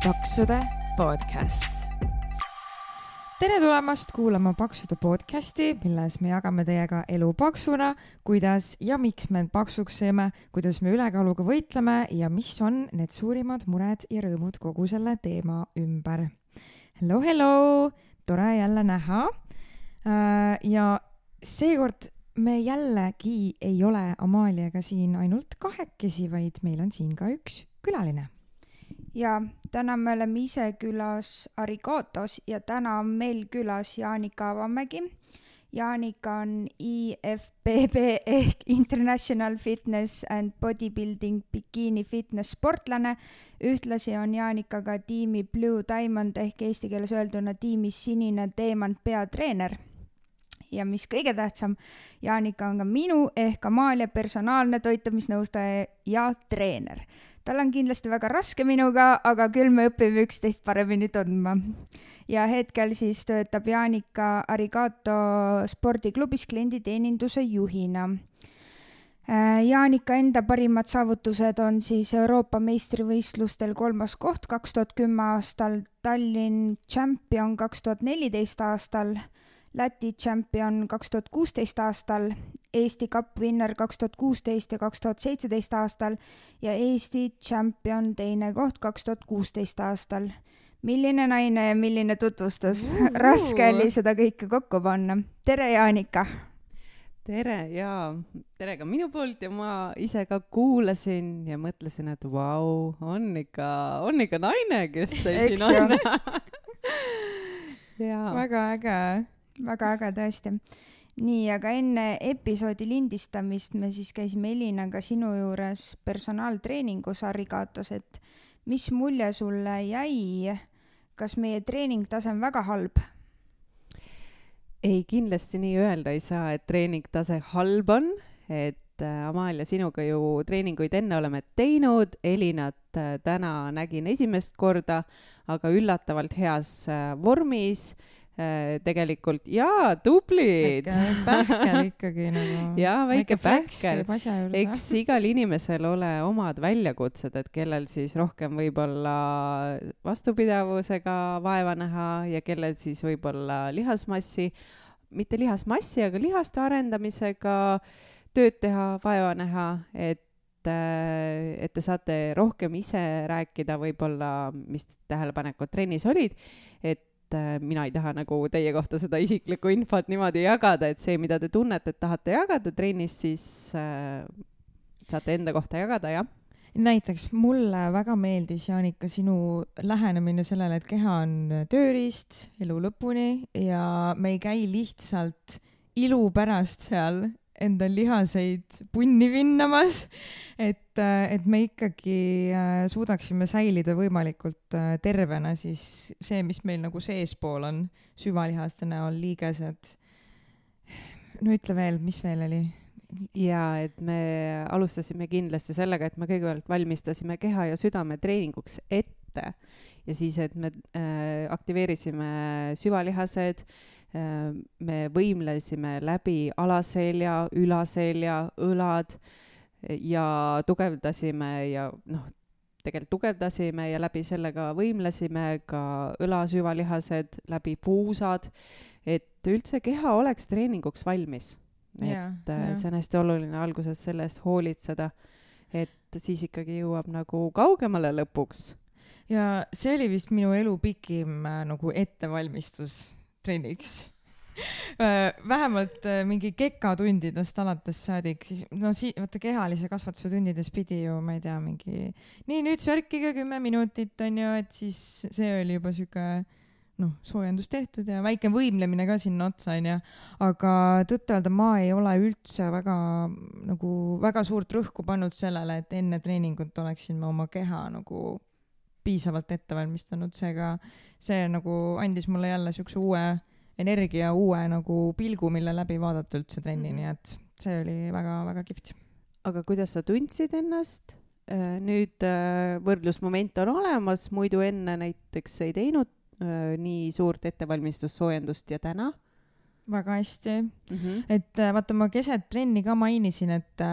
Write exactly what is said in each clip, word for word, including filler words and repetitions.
Paksude podcast. Tere tulemast kuulama Paksude podcasti, milles me jagame teiega elu paksuna, kuidas ja miks me paksuks seeme, kuidas me ülekaaluga võitleme ja mis on need suurimad mured ja rõõmud kogu selle teema ümber. Hello, hello! Tore jälle näha. Ja seekord me jällegi ei ole Amaliaga siin ainult kahekesi, vaid meil on siin ka üks külaline. Ja täna me oleme ise külas Arigatos ja täna on meil külas Jaanika Avamägi. Jaanika on I F B B ehk International Fitness and Bodybuilding Bikini Fitness sportlane. Ühtlasi on Jaanika ka tiimi Blue Diamond ehk eesti keeles öelduna tiimi Sinine Teemant peatreener. Ja mis kõige tähtsam, Jaanika on ka minu ehk Amalia personaalne toitumisnõustaja ja treener. Tal on kindlasti väga raske minuga, aga küll me õpime üksteist paremini tundma. Ja hetkel siis töötab Jaanika Arigato spordiklubis klienditeeninduse juhina. Jaanika enda parimad saavutused on siis Euroopa meistrivõistlustel kolmas koht kaks tuhat kümme aastal, Tallinn champion kaks tuhat neliteist aastal, Läti champion kaks tuhat kuusteist aastal, Eesti Cup winner kaks tuhat kuusteist ja kaks tuhat seitseteist aastal ja Eesti champion teine koht kaks tuhat kuusteist aastal. Milline naine ja milline tutvustus. Uh-huh. Raske oli seda kõike kokku panna. Tere, Jaanika! Tere, jaa. Tere ka minu poolt ja ma ise ka kuulasin ja mõtlesin, et vau, on ikka, on ikka naine, kes siin on. Väga äge. Väga äge tõesti. Nii, aga enne episoodi lindistamist me siis käisime Elinaga sinu juures personaaltreeningus Arigatos, et mis mulje sulle jäi? Kas meie treeningtase on väga halb? Ei, kindlasti nii öelda ei saa, et treeningtase halb on, et Amalia, sinuga ju treeninguid enne oleme teinud, Elinat täna nägin esimest korda, aga üllatavalt heas vormis, tegelikult, jaa, tublid. Väike pähkel ikkagi nagu. Jaa, väike pähkel. Eks igal inimesel ole omad väljakutsed, et kellel siis rohkem võib-olla vastupidavusega vaeva näha ja kellel siis võib-olla lihasmassi, mitte lihasmassi, aga lihaste arendamisega tööd teha, vaeva näha, et, et te saate rohkem ise rääkida võib-olla, mis tähelepanekud trennis olid, et mina ei taha nagu teie kohta seda isiklikku infot niimoodi jagada, et see, mida te tunnete, et tahate jagada trennis, siis äh, saate enda kohta jagada, jah? Näiteks mulle väga meeldis, Jaanika, sinu lähenemine sellele, et keha on tööriist elu lõpuni ja me ei käi lihtsalt ilu pärast seal enda lihaseid punni vinnamas, et, et me ikkagi suudaksime säilida võimalikult tervena, siis see, mis meil nagu seespool on, süvalihaste näol, liigesed. No ütle veel, mis veel oli? Ja, et me alustasime kindlasti sellega, et me kõigepealt valmistasime keha ja südame treeninguks ette ja siis, et me äh, aktiveerisime süvalihased, me võimlesime läbi alaselja, ülaselja, õlad ja tugevdasime ja noh, tegelikult tugevdasime ja läbi sellega võimlesime ka õlasüvalihased, läbi puusad, et üldse keha oleks treeninguks valmis. Yeah, et yeah. See on hästi oluline alguses sellest hoolitseda, et siis ikkagi jõuab nagu kaugemale lõpuks. Ja see oli vist minu elu pikim nagu ettevalmistus trenniks. Vähemalt mingi kekatundidest alates saadik, siis no si- vaata kehalise kasvatuse tundides pidi ju, ma ei tea, mingi nii nüüd sörkige kümme minutit on ju, et siis see oli juba süke noh, soojendus tehtud ja väike võimlemine ka sinna otsa on ja, aga tõtt-öelda ma ei ole üldse väga nagu väga suurt rõhku pannud sellele, et enne treeningut oleksin ma oma keha nagu piisavalt ette valmistanud, seega see nagu andis mulle jälle sükse uue energia, uue nagu pilgu, mille läbi vaadata üldse trenni, nii et see oli väga-väga kihvt. Aga kuidas sa tundsid ennast? Nüüd võrdlusmoment on olemas, muidu enne näiteks ei teinud nii suurt ettevalmistussoojendust ja täna? väga hästi mm. -hmm. et vaata, ma keset trenni ka mainisin, et,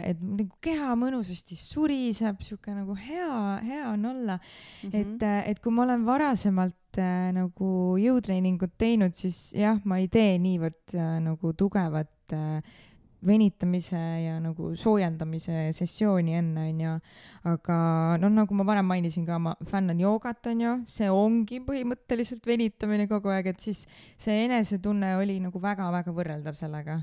et nagu keha mõnusasti suriseb, siuke nagu hea, hea on olla mm. -hmm. et, et kui ma olen varasemalt äh, nagu jõutreeningut teinud, siis jah, ma ei tee niivõrd äh, nagu tugevat äh, venitamise ja nagu soojendamise sessiooni enne, on ju. Aga noh, nagu ma varem mainisin ka, ma fännan joogat, on ju, see ongi põhimõtteliselt venitamine kogu aeg, et siis see enesetunne oli nagu väga-väga võrreldav sellega.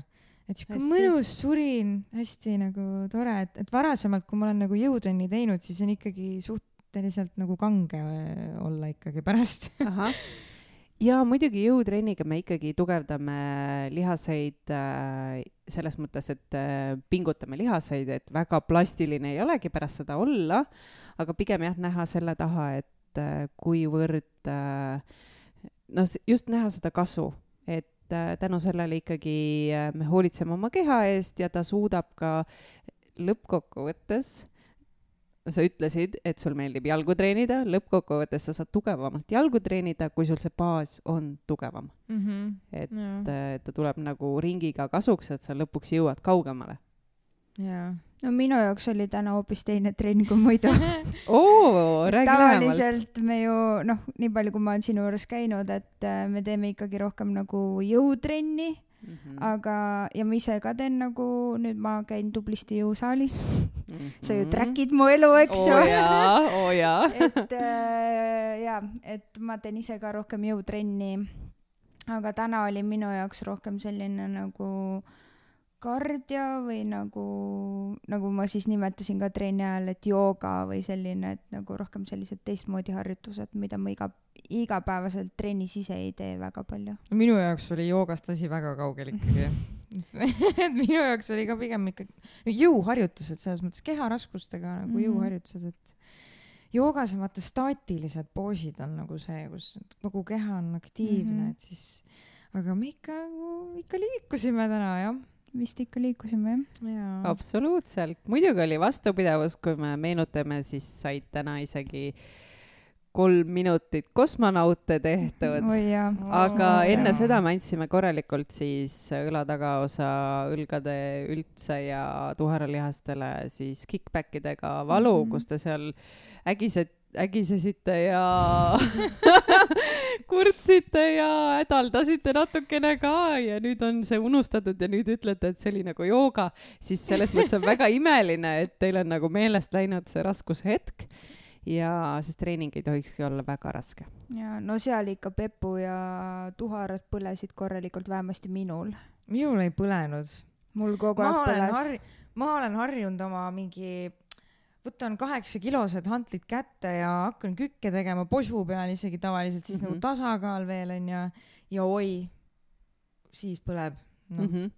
Et siuke mõnus surin, hästi nagu tore, et, et varasemalt, kui ma olen nagu jõutrenni teinud, siis on ikkagi suhteliselt nagu kange olla ikkagi pärast. Ahah. Ja muidugi jõutrenniga me ikkagi tugevdame lihaseid äh, selles mõttes, et äh, pingutame lihaseid, et väga plastiline ei olegi pärast seda olla, aga pigem jah, näha selle taha, et äh, kuivõrd äh, no just näha seda kasu, et äh, tänu sellele ikkagi äh, me hoolitseme oma keha eest ja ta suudab ka lõppkokkuvõttes. Sa ütlesid, et sul meeldib jalgu treenida, lõppkokkuvõttes sa saad tugevamalt jalgu treenida, kui sul see baas on tugevam. Mm -hmm. Et yeah. ta tuleb nagu ringiga kasuks, et sa lõpuks jõuad kaugemale. Yeah. No minu jaoks oli täna hoopis teine trenn kui muidu. Oo, räägi tavaliselt me ju, noh, nii palju kui ma olen sinu juures käinud, et me teeme ikkagi rohkem nagu jõutrenni. Mm-hmm. Aga, ja ma ise ka teen nagu, nüüd ma käin tublisti jõusaalis. Mm-hmm. Sa ju trackid mu elu, eks ju. Oo jaa, oo jaa. et äh, jaa, et ma teen ise ka rohkem jõutrenni. Aga täna oli minu jaoks rohkem selline nagu kardio või nagu, nagu ma siis nimetasin ka trenni ajal, et jooga või selline, et nagu rohkem sellised teistmoodi harjutused, mida ma iga igapäevaselt trennis ise ei tee väga palju. Minu jaoks oli joogast asi väga kaugel ikkagi. Minu jaoks oli ka pigem ikkagi jõuharjutused, selles mõttes keharaskustega nagu mm. jõuharjutused, et joogas on vaata staatilised poosid on nagu see, kus kogu keha on aktiivne, mm-hmm. et siis, aga me ikka, ikka liikusime täna, jah. Vist ikka liikusime, jah. Absoluutselt. Muidugi oli vastupidavus, kui me meenutame, siis said täna isegi kolm minutit kosmonaute tehtud, oh, jah. aga oh, enne jah. seda me andsime korralikult siis õla tagaosa, õlgade üldse ja tuharalihastele siis kickbackidega valu, mm-hmm. kus te seal ägised, ägisesite ja kurtsite ja hädaldasite natukene ka ja nüüd on see unustatud ja nüüd ütlete, et see oli nagu jooga, siis selles mõttes on väga imeline, et teil on nagu meelest läinud see raskushetk. Ja siis treening ei tohikski olla väga raske. Ja no seal ikka Pepu ja tuharad põlesid korralikult, vähemasti minul. Minul ei põlenud. Mul kogu aeg põles. Harri, ma olen harjunud oma mingi, võtan kaheksa kilosed hantlid kätte ja hakkan kükke tegema posu peal isegi tavaliselt, siis mm-hmm. nagu tasakaal veel on ja, ja oi, siis põleb. No. Mm-hmm.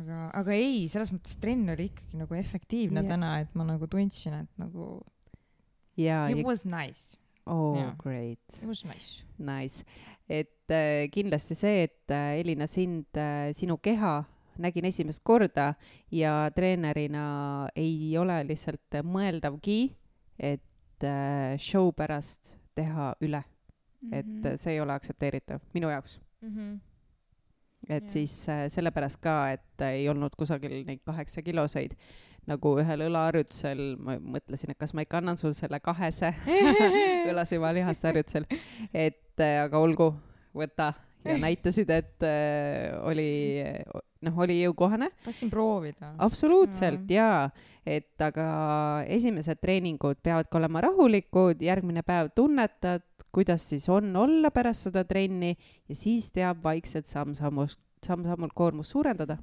Aga, aga ei, selles mõttes trenn oli ikkagi nagu efektiivne yeah. täna, et ma nagu tundsin, et nagu Ja, It ja... was nice. Oh, yeah. great. It was nice. Nice. Et äh, kindlasti see, et äh, Elina sind, äh, sinu keha nägin esimest korda ja treenerina ei ole lihtsalt mõeldavgi, et äh, show pärast teha üle. Mm-hmm. Et äh, see ei ole aktsepteeritav minu jaoks. Mm-hmm. Et yeah. siis äh, sellepärast ka, et äh, ei olnud kusagil neid kaheksa kiloseid. Nagu ühel õlaharjutusel ma mõtlesin, et kas ma ikka annan sul selle kahese õlasima lihaste harjutusel, et aga olgu, võta ja näitasid, et äh, oli, noh, oli jõukohane. Tahtsin proovida. Absoluutselt, jaa. Et aga esimesed treeningud peavad olema rahulikud, järgmine päev tunnetad, kuidas siis on olla pärast seda trenni ja siis teab vaikselt samm-sammult, samm-sammult koormust suurendada.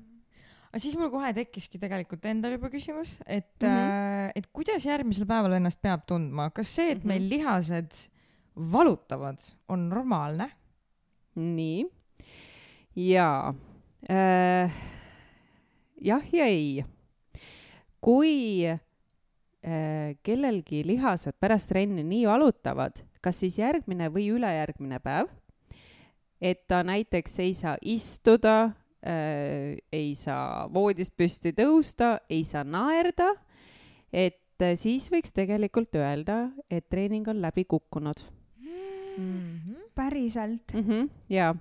Aga siis mul kohe tekkiski tegelikult endal juba küsimus, et, mm-hmm. äh, et kuidas järgmisel päeval ennast peab tundma? Kas see, et mm-hmm. meil lihased valutavad, on normaalne? Nii. Jaa. Äh, jah ja ei. Kui äh, kellelgi lihased pärast trenni nii valutavad, kas siis järgmine või ülejärgmine päev, et ta näiteks ei saa istuda, Äh, ei saa voodist püsti tõusta, ei saa naerda, et äh, siis võiks tegelikult öelda, et treening on läbi kukkunud. Mm-hmm. Päriselt? Mm-hmm, jaa,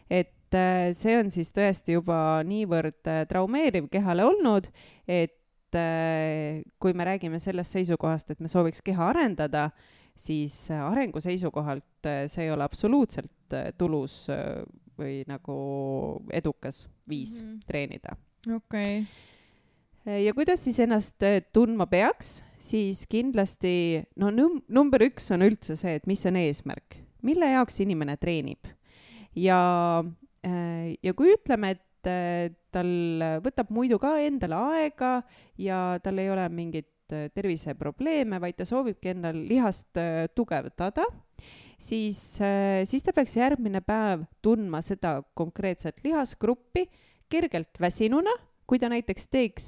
et et see on siis tõesti juba niivõrd traumeeriv kehale olnud, et kui me räägime sellest seisukohast, et me sooviks keha arendada, siis arengu seisukohalt see ei ole absoluutselt tulus või nagu edukas viis mm-hmm. treenida. Okei. Okay. Ja kuidas siis ennast tundma peaks, siis kindlasti, no num- number üks on üldse see, et mis on eesmärk, mille jaoks inimene treenib. Ja, ja kui ütleme, et tal võtab muidu ka endale aega ja tal ei ole mingit terviseprobleeme, vaid ta soovibki endal lihast tugevdada, siis, siis ta peaks järgmine päev tundma seda konkreetset lihasgruppi kergelt väsinuna, kui ta näiteks teeks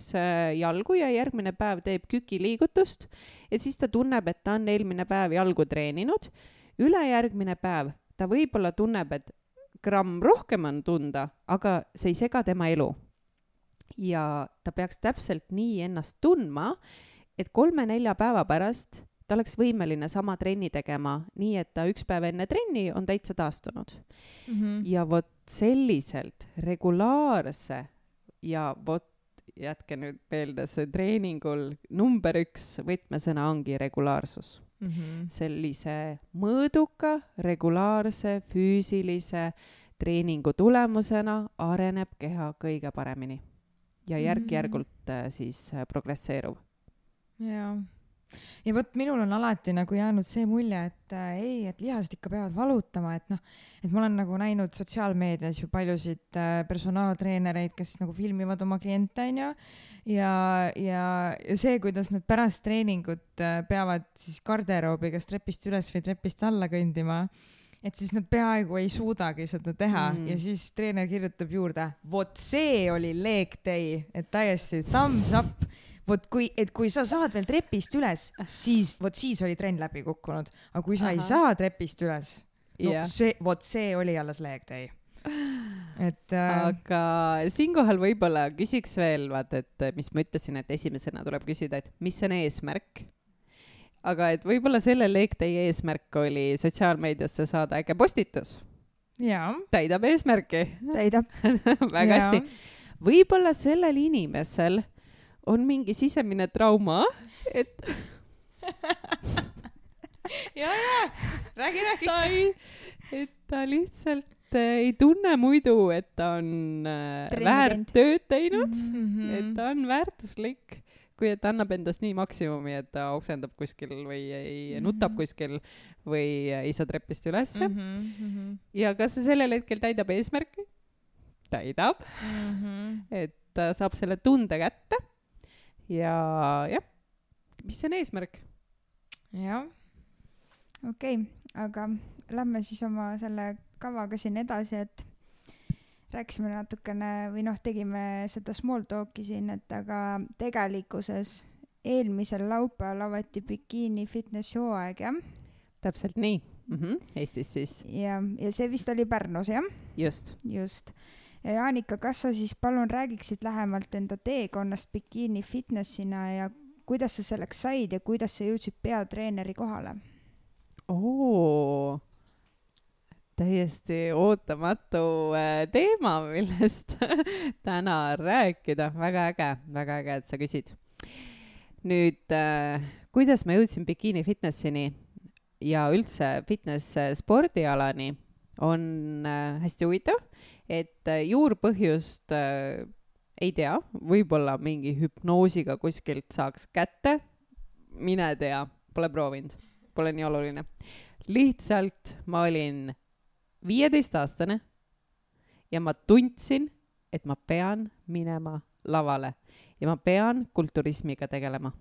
jalgu ja järgmine päev teeb kükiliigutust, et siis ta tunneb, et ta on eelmine päev jalgu treeninud, ülejärgmine päev ta võib-olla tunneb, et gramm rohkem on tunda, aga see ei sega tema elu. Ja ta peaks täpselt nii ennast tundma, et kolme-nelja päeva pärast ta oleks võimeline sama trenni tegema, nii et ta üks päev enne trenni on täitsa taastunud. Mm-hmm. Ja vot selliselt regulaarse ja vot jätke nüüd meelde, see treeningul number üks võtmesõna ongi regulaarsus. Mm-hmm. Sellise mõõduka, regulaarse, füüsilise treeningu tulemusena areneb keha kõige paremini ja järk-järgult mm-hmm. siis progresseerub. Jaa. Ja vot minul on alati nagu jäänud see mulje, et äh, ei, et lihased ikka peavad valutama, et noh, et ma olen nagu näinud sotsiaalmeedias ju paljusid äh, personaaltreenereid, kes nagu filmivad oma kliente, on ju, ja, ja, ja see, kuidas nad pärast treeningut äh, peavad siis garderoobi kas trepist üles või trepist alla kõndima, et siis nad peaaegu ei suudagi seda teha mm. ja siis treener kirjutab juurde, vot see oli leg day, et täiesti thumbs up. Vot kui, et kui sa saad veel trepist üles, siis, vot siis oli trenn läbi kukkunud. Aga kui sa Aha. ei saa trepist üles, no yeah. see, vot see oli alles leg day. Et, äh... aga siinkohal võib-olla küsiks veel, vaat, et mis ma ütlesin, et esimesena tuleb küsida, et mis on eesmärk. Aga et võib-olla selle leg day eesmärk oli sotsiaalmeediasse saada äge postitus. Jaa. Täidab eesmärki. Täidab. Väga ja. hästi. Võib-olla sellel inimesel on mingi sisemine trauma, et ja, ja, räägi, räägi. Ta ei, et ta lihtsalt ei tunne muidu, et ta on Trendent. väärt tööd teinud, mm-hmm. et ta on väärtuslik, kui et ta annab endast nii maksimumi, et ta oksendab kuskil või ei mm-hmm. nutab kuskil või ei saa trepist ülesse. Mm-hmm. Ja kas see sellel hetkel täidab eesmärki? Täidab. Mm-hmm. Et ta saab selle tunde kätte. Ja jah, mis on eesmärk? Jah. Okei, okay, aga lähme siis oma selle kavaga siin edasi, et rääkisime natukene või noh, tegime seda small talki siin, et aga tegelikkuses eelmisel laupäeval avati bikiini fitness hooaeg, jah? Täpselt nii, mm-hmm. Eestis siis. Ja, ja see vist oli Pärnus, jah? Just. Just. Ja Jaanika, kas sa siis palun räägiksid lähemalt enda teekonnast bikiini fitnessina ja kuidas sa selleks said ja kuidas sa jõudsid peatreeneri kohale? Oo, täiesti ootamatu teema, millest täna rääkida. Väga äge, väga äge, et sa küsid. Nüüd, kuidas ma jõudsin bikiini fitnessini ja üldse fitness spordialani on hästi huvitav. Et juurpõhjust äh, ei tea, võib-olla mingi hüpnoosiga kuskilt saaks kätte, mine tea, pole proovinud, pole nii oluline. Lihtsalt ma olin viieteistaastane ja ma tundsin, et ma pean minema lavale ja ma pean kulturismiga tegelema.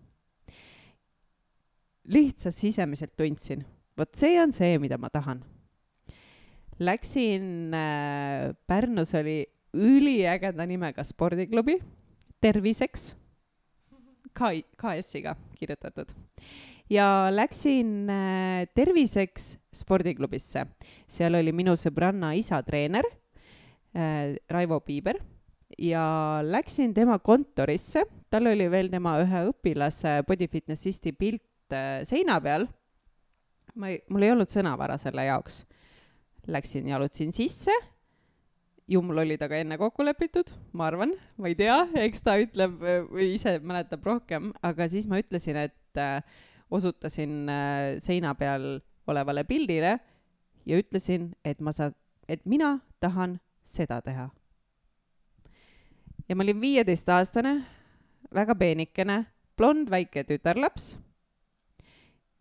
Lihtsalt sisemiselt tundsin, vot see on see, mida ma tahan. Läksin, äh, Pärnus oli üliägeda nimega spordiklubi, Terviseks, K S-iga kirjutatud. Ja läksin äh, Terviseks spordiklubisse. Seal oli minu sõbranna isa treener, äh, Raivo Piiber, ja läksin tema kontorisse. Tal oli veel tema ühe õpilase bodyfitnessisti pilt äh, seina peal. Ma ei, mul ei olnud sõnavara selle jaoks. Läksin, jalutasin sisse ju mul oli taga enne kokku lepitud, ma arvan, ma ei tea, eks ta ütleb või ise mäletab rohkem, aga siis ma ütlesin, et äh, osutasin äh, seina peal olevale pildile ja ütlesin, et ma saan, et mina tahan seda teha. Ja ma olin viieteistaastane, väga peenikene, blond väike tütarlaps.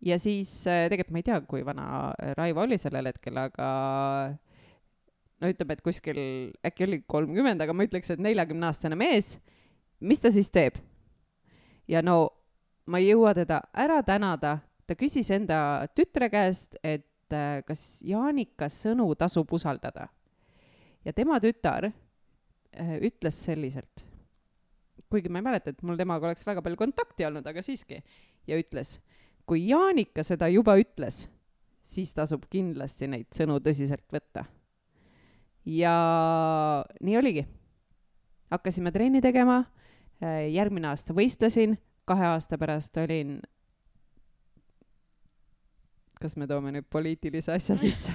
Ja siis tegelikult ma ei tea, kui vana Raivo oli sellel hetkel, aga no ütleb, et kuskil äkki oli kolmkümmend, aga ma ütleks, et neljakümneaastane mees. Mis ta siis teeb? Ja no ma ei jõua teda ära tänada. Ta küsis enda tütre käest, et kas Jaanika sõnu tasub usaldada. Ja tema tütar ütles selliselt, kuigi ma ei mäleta, et mul temaga oleks väga palju kontakti olnud, aga siiski, ja ütles, kui Jaanika seda juba ütles, siis tasub kindlasti neid sõnu tõsiselt võtta. Ja nii oligi. Hakkasime trenni tegema, järgmine aasta võistlesin, kahe aasta pärast olin, kas me toome nüüd poliitilise asja sisse,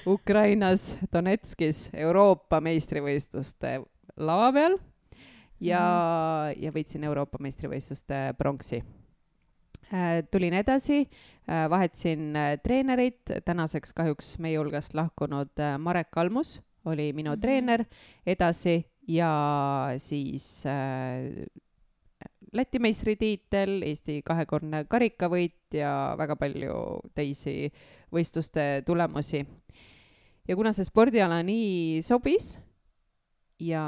Ukrainas, Donetskis, Euroopa meistrivõistluste lava peal ja, ja võitsin Euroopa meistrivõistluste pronksi. Tulin edasi, vahetsin treenerit, tänaseks kahjuks meie hulgast lahkunud Marek Kalmus oli minu mm-hmm. treener edasi ja siis äh, Läti meistritiitel, Eesti kahekordne karikavõit ja väga palju teisi võistluste tulemusi. Ja kuna see spordiala nii sobis ja,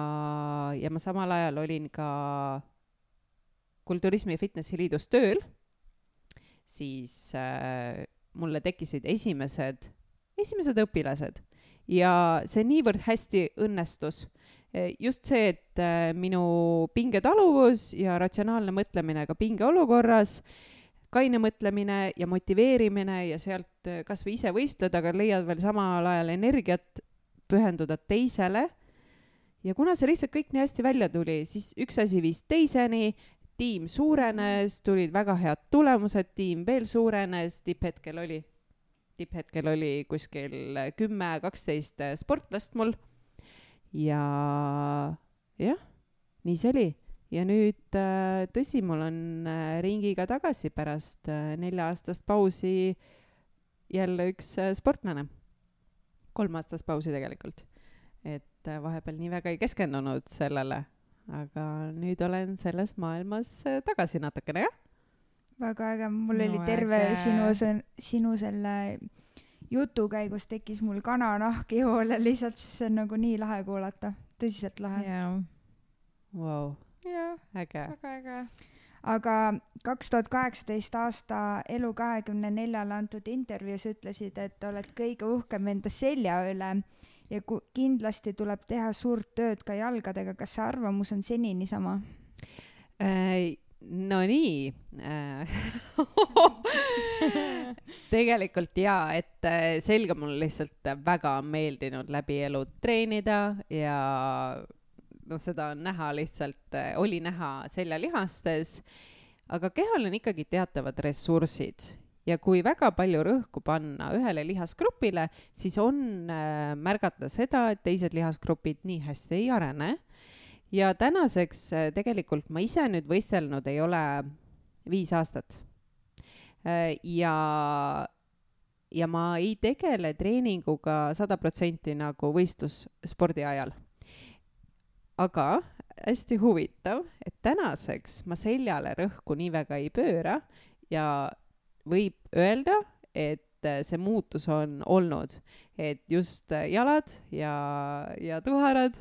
ja ma samal ajal olin ka Kulturismi ja Fitnessi Liidus tööl, siis äh, mulle tekkisid esimesed, esimesed õpilased ja see niivõrd hästi õnnestus. Just see, et äh, minu pingetaluvus ja ratsionaalne mõtlemine ka pingeolukorras, kaine mõtlemine ja motiveerimine ja sealt kas või ise võistleda, aga leiad veel samal ajal energiat pühenduda teisele. Ja kuna see lihtsalt kõik nii hästi välja tuli, siis üks asi viis teiseni, tiim suurenes, tulid väga head tulemused, tiim veel suurenes, tipphetkel oli, tipphetkel oli kuskil kümme kaksteist sportlast mul. Ja jah, nii see oli. Ja nüüd tõsi, mul on ringiga tagasi pärast nelja aastast pausi jälle üks sportlane. Kolm aastast pausi tegelikult. Et vahepeal nii väga ei keskendunud sellele. Aga nüüd olen selles maailmas tagasi natukene, jah? Väga äge, mul no, oli terve äge. sinu, sinu selle jutu käigus tekkis mul kananahk ihule lihtsalt, siis see on nagu nii lahe kuulata, tõsiselt lahe. Yeah. Wow. Yeah. Äge. Väga äge. Aga kaks tuhat kaheksateist aasta Elu kahekümne neljale antud intervjuus ütlesid, et oled kõige uhkem enda selja üle ja kindlasti tuleb teha suurt tööd ka jalgadega. Kas see arvamus on senini sama? Äh, no nii. Äh. Tegelikult jaa, et selga mul lihtsalt väga meeldinud läbi elu treenida ja no seda on näha lihtsalt, oli näha seljalihastes, aga kehal on ikkagi teatavad ressursid. Ja kui väga palju rõhku panna ühele lihasgrupile, siis on äh, märgata seda, et teised lihasgrupid nii hästi ei arene. Ja tänaseks äh, tegelikult ma ise nüüd võistelnud ei ole viis aastat. Äh, ja, ja ma ei tegele treeninguga sada protsenti nagu võistlusspordi ajal. Aga hästi huvitav, et tänaseks ma seljale rõhku nii väga ei pööra ja võib öelda, et see muutus on olnud, et just jalad ja, ja tuharad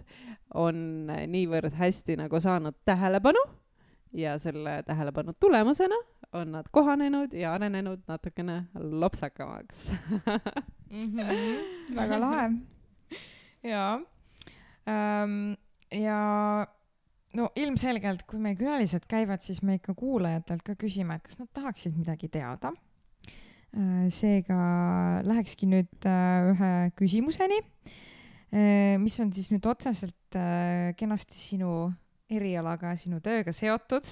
on niivõrd hästi nagu saanud tähelepanu ja selle tähelepanu tulemusena on nad kohanenud ja arenenud natukene lopsakamaks. mm-hmm. Väga lahe. Jaa. Ähm, ja no ilmselgelt, kui meie külalised käivad, siis me ikka kuulajatelt ka küsime, et kas nad tahaksid midagi teada. Seega lähekski nüüd ühe küsimuseni, mis on siis nüüd otseselt kenasti sinu erialaga, sinu tööga seotud.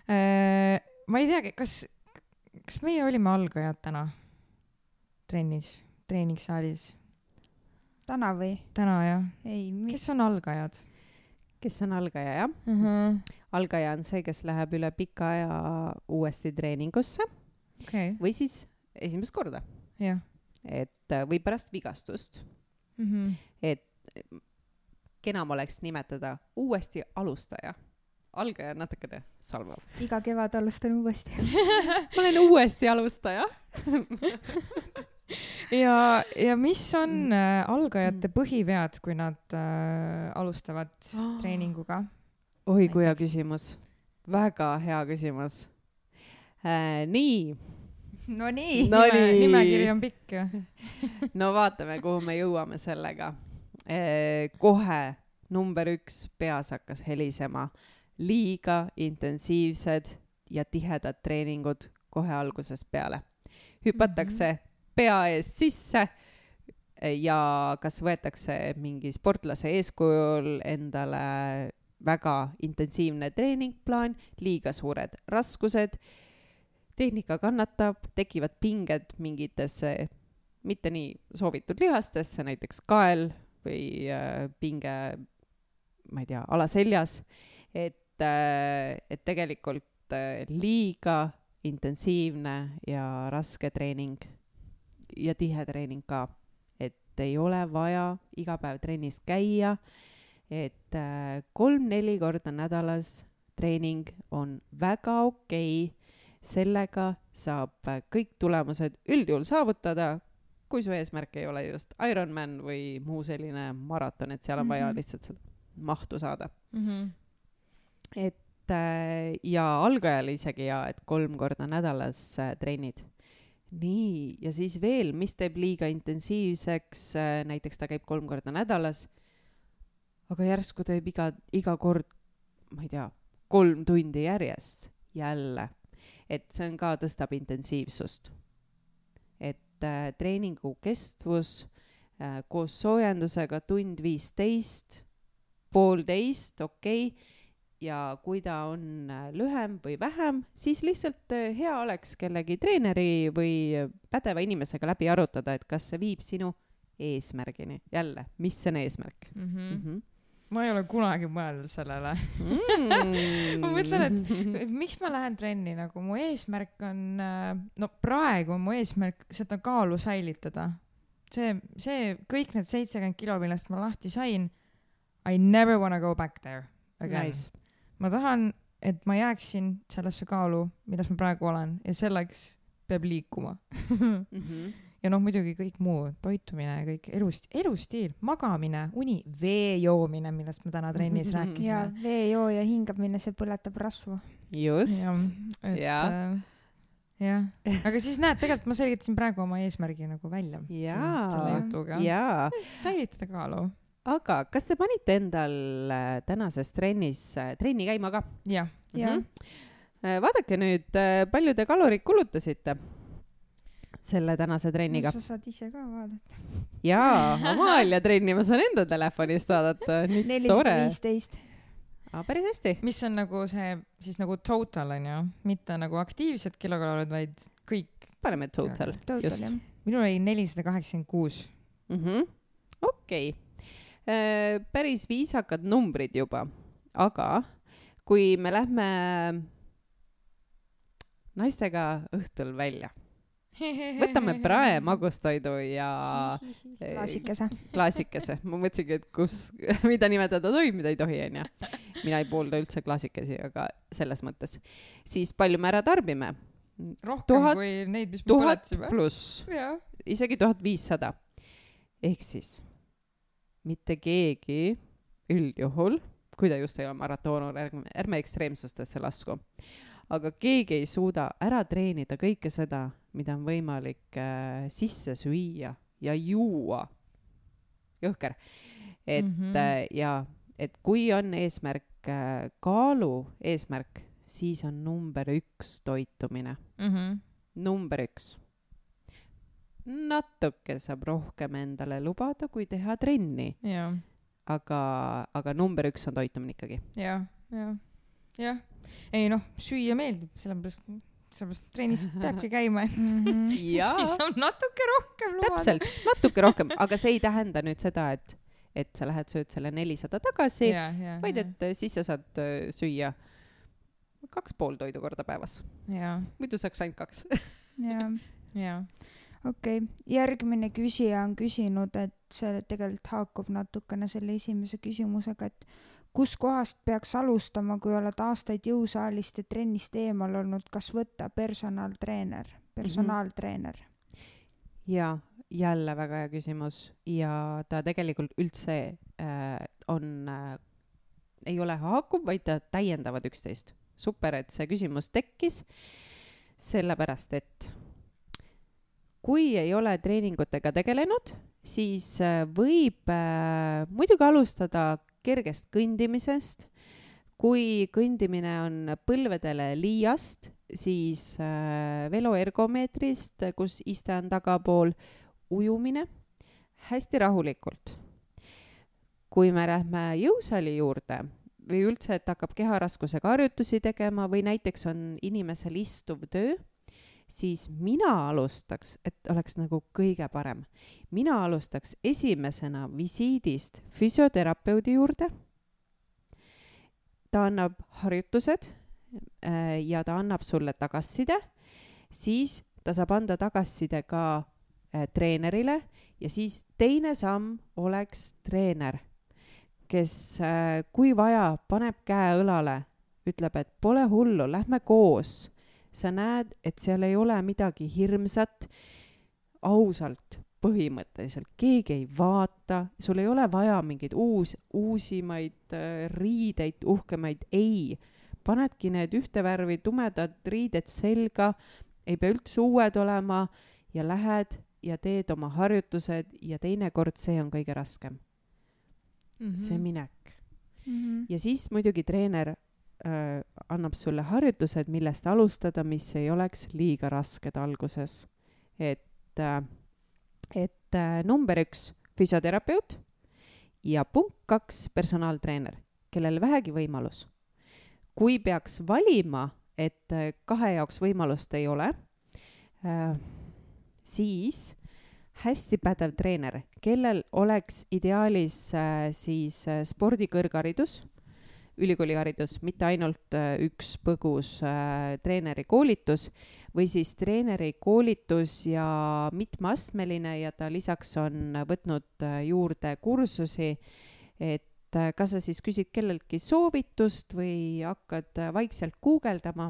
Ma ei tea, kas, kas meie olime algajad täna trennis, treeningsaalis? täna või? täna jah. ei, mi- kes on algajad? kes on algaja, jah? Uh-huh. algaja on see, kes läheb üle pika aja uuesti treeningusse okay. või siis esimest korda. jah. et või pärast vigastust. Mm-hmm. et kenam oleks nimetada uuesti alustaja. algaja on natukene salvav. iga kevad alustan uuesti. ma olen uuesti alustaja. ja, ja mis on äh, algajate põhivead, kui nad äh, alustavad oh. treeninguga? oi, kui hea küsimus. väga hea küsimus äh,. nii. no nii no. Nime, nimekiri on pikk. no vaatame, kuhu me jõuame sellega. Äh, kohe number üks peas hakkas helisema. liiga intensiivsed ja tihedad treeningud kohe algusest peale. hüpatakse mm-hmm. pea ees sisse ja kas võetakse mingi sportlase eeskujul endale väga intensiivne treeningplaan, liiga suured raskused, tehnika kannatab, tekivad pinged mingitesse mitte nii soovitud lihastesse, näiteks kael või äh, pinge, ma ei tea, alaseljas, et, äh, et tegelikult äh, liiga intensiivne ja raske treening ja tihe treening ka, et ei ole vaja iga päev trennis käia, et äh, kolm-neli korda nädalas treening on väga okei, sellega saab äh, kõik tulemused üldjuhul saavutada, kui su eesmärk ei ole just Ironman või muu selline maraton, et seal on vaja mm-hmm. lihtsalt seda mahtu saada. Mm-hmm. et äh, ja algajal isegi ja, et kolm korda nädalas äh, treenid. nii, ja siis veel, mis teeb liiga intensiivseks, äh, näiteks ta käib kolm korda nädalas, aga järsku teeb iga, iga kord, ma ei tea, kolm tundi järjest jälle. Et see on ka tõstab intensiivsust. Et äh, treeningu kestvus äh, koos soojendusega tund viisteist, poolteist, okei. Ja kui ta on äh, lühem või vähem, siis lihtsalt äh, hea oleks kellegi treeneri või pädeva inimesega läbi arutada, et kas see viib sinu eesmärgini. Jälle, mis on eesmärk? Mm-hmm. Mm-hmm. Ma ei ole kunagi mõelnud sellele. Mm. ma mõtlen, et, et miks ma lähen trenni, nagu mu eesmärk on, no praegu on mu eesmärk seda kaalu säilitada. See, see kõik need seitsekümmend kilo, millest ma lahti sain, I never wanna go back there again. Nice. Ma tahan, et ma jääksin sellesse kaalu, milles ma praegu olen, ja selleks peab liikuma. mm-hmm. Ja noh, muidugi kõik muu, toitumine, kõik elust, elustiil, magamine, uni, vee joomine, millest me täna trennis rääkisime. Ja vee joo ja hingamine, see põletab rasvu. Just. Ja, et, ja. Äh, jah. Aga siis näed, tegelikult ma selgitasin praegu oma eesmärgi nagu välja ja. selle jutuga. Ja. Säilitada kaalu. Aga kas te panite endal tänases trennis trenni käima ka? Ja. Ja. Mm-hmm. Vaadake nüüd, palju te kalorid kulutasite selle tänase trenniga. Sa saad ise ka vaadata. Jaa, Amalia trenni ma saan enda telefonist vaadata. nelisada viisteist. Aa, päris hästi. Mis on nagu see, siis nagu total on ju, mitte nagu aktiivsed kilokalorid, vaid kõik. Paneme total. Total, just. jah. Minul oli nelisada kaheksakümmend kuus. Mm-hmm. Okei. Okay. Päris viisakad numbrid juba. Aga kui me lähme naistega õhtul välja, võtame prae, magustoidu ja klaasikese. klaasikese. Ma mõtlesingi, et kus, mida nimetada tohib, mida ei tohi, on ja. Mina ei poolda üldse klaasikesi, aga selles mõttes. Siis palju me ära tarbime? Rohkem tuhat, kui neid, mis me põletsime. Tuhat pluss. Ja. Isegi tuhat viissada. Ehk siis mitte keegi üldjuhul, kui ta just ei ole maratoonur, ärme, ärme ekstreemsustesse lasku. Aga keegi ei suuda ära treenida kõike seda, mida on võimalik äh, sisse süüa ja juua. Jõhker. Et, mm-hmm. äh, ja, et kui on eesmärk äh, kaalu eesmärk, siis on number üks toitumine. Mm-hmm. Number üks. Natuke saab rohkem endale lubada, kui teha trenni. Ja. Aga, aga number üks on toitumine ikkagi. Ja, ja, jah. Ei noh, süüa meeldib, sellepärast sellepärast trennis peabki käima, et Mhm. siis on natuke rohkem lubada. täpselt, natuke rohkem, aga see ei tähenda nüüd seda, et, et sa lähed sööd selle nelisada tagasi, Ja, ja, vaid ja. et äh, siis sa saad äh, süüa kaks pool toidu korda päevas. Ja, Muidu saaks ainult kaks. jah, ja. okei okay. Järgmine küsija on küsinud, et see tegelikult haakub natukene selle esimese küsimusega, et kus kohast peaks alustama, kui oled aastaid jõusaalist ja trennist eemal olnud, kas võtta personaaltreener, personaaltreener? Ja jälle väga hea küsimus ja ta tegelikult üldse äh, on, äh, ei ole haakuv, vaid ta täiendavad üksteist. Super, et see küsimus tekkis, sellepärast et kui ei ole treeningutega tegelenud, siis äh, võib äh, muidugi alustada kergest kõndimisest. Kui kõndimine on põlvedele liiast, siis äh, veloergomeetrist, kus iste on tagapool, ujumine hästi rahulikult. Kui me lähme jõusaali juurde või üldse, et hakkab keharaskusega harjutusi tegema või näiteks on inimesel istuv töö, siis mina alustaks, et oleks nagu kõige parem. Mina alustaks esimesena visiidist füsioterapeudi juurde. Ta annab harjutused äh, ja ta annab sulle tagasiside, siis ta saab anda tagasiside ka äh, treenerile ja siis teine samm oleks treener, kes äh, kui vaja, paneb käe õlale, ütleb, et pole hullu, lähme koos. Sa näed, et seal ei ole midagi hirmsat, ausalt, põhimõtteliselt. Keegi ei vaata, sul ei ole vaja mingeid uus, uusimaid äh, riideid, uhkemaid. Ei, panedki need ühte värvi tumedad riided selga, ei pea üldse uued olema ja lähed ja teed oma harjutused ja teinekord see on kõige raskem. Mm-hmm. See minek. Mm-hmm. Ja siis muidugi treener äh, annab sulle harjutused, millest alustada, mis ei oleks liiga rasked alguses. Et, äh, et äh, number üks, füsioterapeut ja punkt kaks, personaaltreener, kellel vähegi võimalus. Kui peaks valima, et äh, kahe jaoks võimalust ei ole, äh, siis hästi pädev treener, kellel oleks ideaalis äh, siis äh, spordikõrgharidus, ülikooliharidus, mitte ainult äh, üks põgus äh, treeneri koolitus või siis treeneri koolitus ja mitmeastmeline ja ta lisaks on võtnud äh, juurde kursusi, et äh, kas sa siis küsid kelleltki soovitust või hakkad äh, vaikselt guugeldama,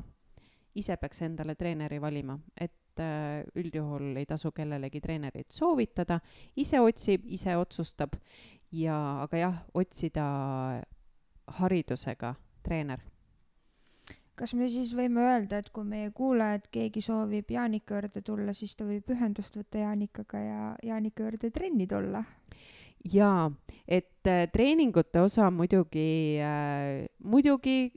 ise peaks endale treeneri valima, et üldjuhul ei tasu kellelegi treenerit soovitada, ise otsib, ise otsustab ja, aga jah, otsida haridusega treener. Kas me siis võime öelda, et kui meie kuulajad keegi soovib Jaanika juurde tulla, siis ta võib ühendust võtta Jaanikaga ja Jaanika juurde trenni tulla? Jaa, et äh, treeningute osa muidugi, äh, muidugi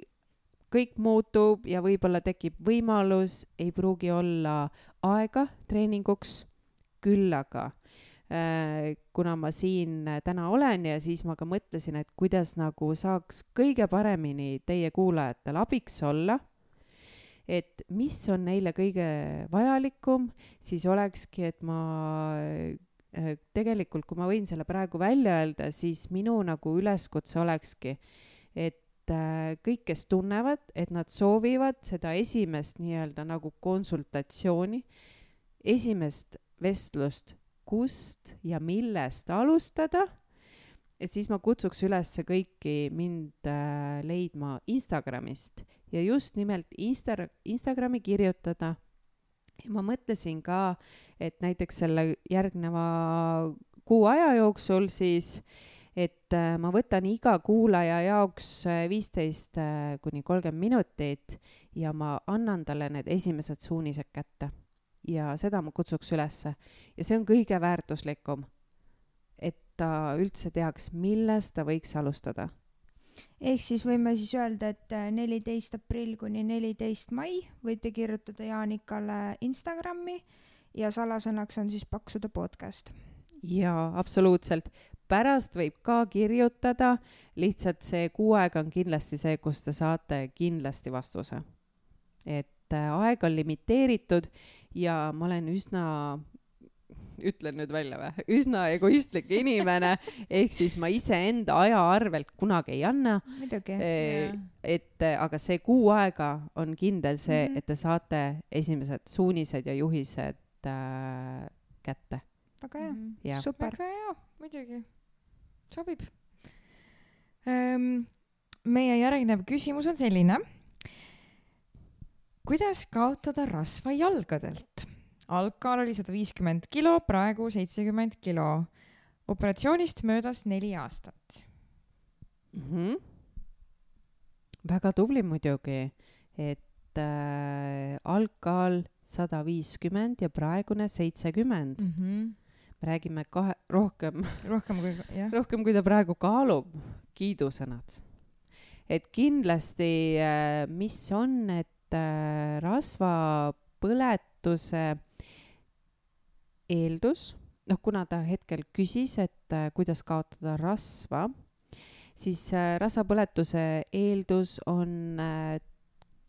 kõik muutub ja võib-olla tekib võimalus, ei pruugi olla aega treeninguks, küll aga äh, kuna ma siin täna olen ja siis ma ka mõtlesin, et kuidas nagu saaks kõige paremini teie kuulajatel abiks olla, et mis on neile kõige vajalikum, siis olekski, et ma äh, tegelikult, kui ma võin selle praegu välja öelda, siis minu nagu üleskutse olekski, et kõik, kes tunnevad, et nad soovivad seda esimest nii-öelda nagu konsultatsiooni, esimest vestlust, kust ja millest alustada, et siis ma kutsuks üles kõiki mind äh, leidma Instagramist ja just nimelt Insta- Instagrami kirjutada. Ja ma mõtlesin ka, et näiteks selle järgneva kuu aja jooksul siis et ma võtan iga kuulaja jaoks viisteist kuni kolmkümmend minutit ja ma annan talle need esimesed suunised kätte. Ja seda ma kutsuks ülesse. Ja see on kõige väärtuslikum, et ta üldse teaks, millest ta võiks alustada. Ehk siis võime siis öelda, et neliteist aprill kuni neliteist mai võite kirjutada Jaanikale Instagrami ja salasõnaks on siis Paksude podcast. Jaa, absoluutselt. Pärast võib ka kirjutada, lihtsalt see kuu aega on kindlasti see, kus te saate kindlasti vastuse. Et et aeg on limiteeritud ja ma olen üsna, ütlen nüüd välja või, üsna egoistlik inimene, ehk siis ma ise enda aja arvelt kunagi ei anna. Midagi. E, et, aga see kuu aega on kindel see, mm-hmm. et te saate esimesed suunised ja juhised äh, kätte. Väga hea, ja. Super. Väga hea, muidugi. Sobib. Ähm, meie järgnev küsimus on selline. Kuidas kaotada rasva jalgadelt? Algkaal oli sada viiskümmend kilo, praegu seitsekümmend kilo. Operatsioonist möödas neli aastat. Mm-hmm. Väga tubli muidugi, et äh, algkaal sada viiskümmend ja praegune seitsekümmend. Mm-hmm. Me räägime kahe, rohkem, rohkem, kui, jah. rohkem kui ta praegu kaalub, kiidusõnad. Et kindlasti, äh, mis on, et äh, rasva põletuse eeldus, noh, kuna ta hetkel küsis, et äh, kuidas kaotada rasva, siis äh, rasvapõletuse eeldus on äh,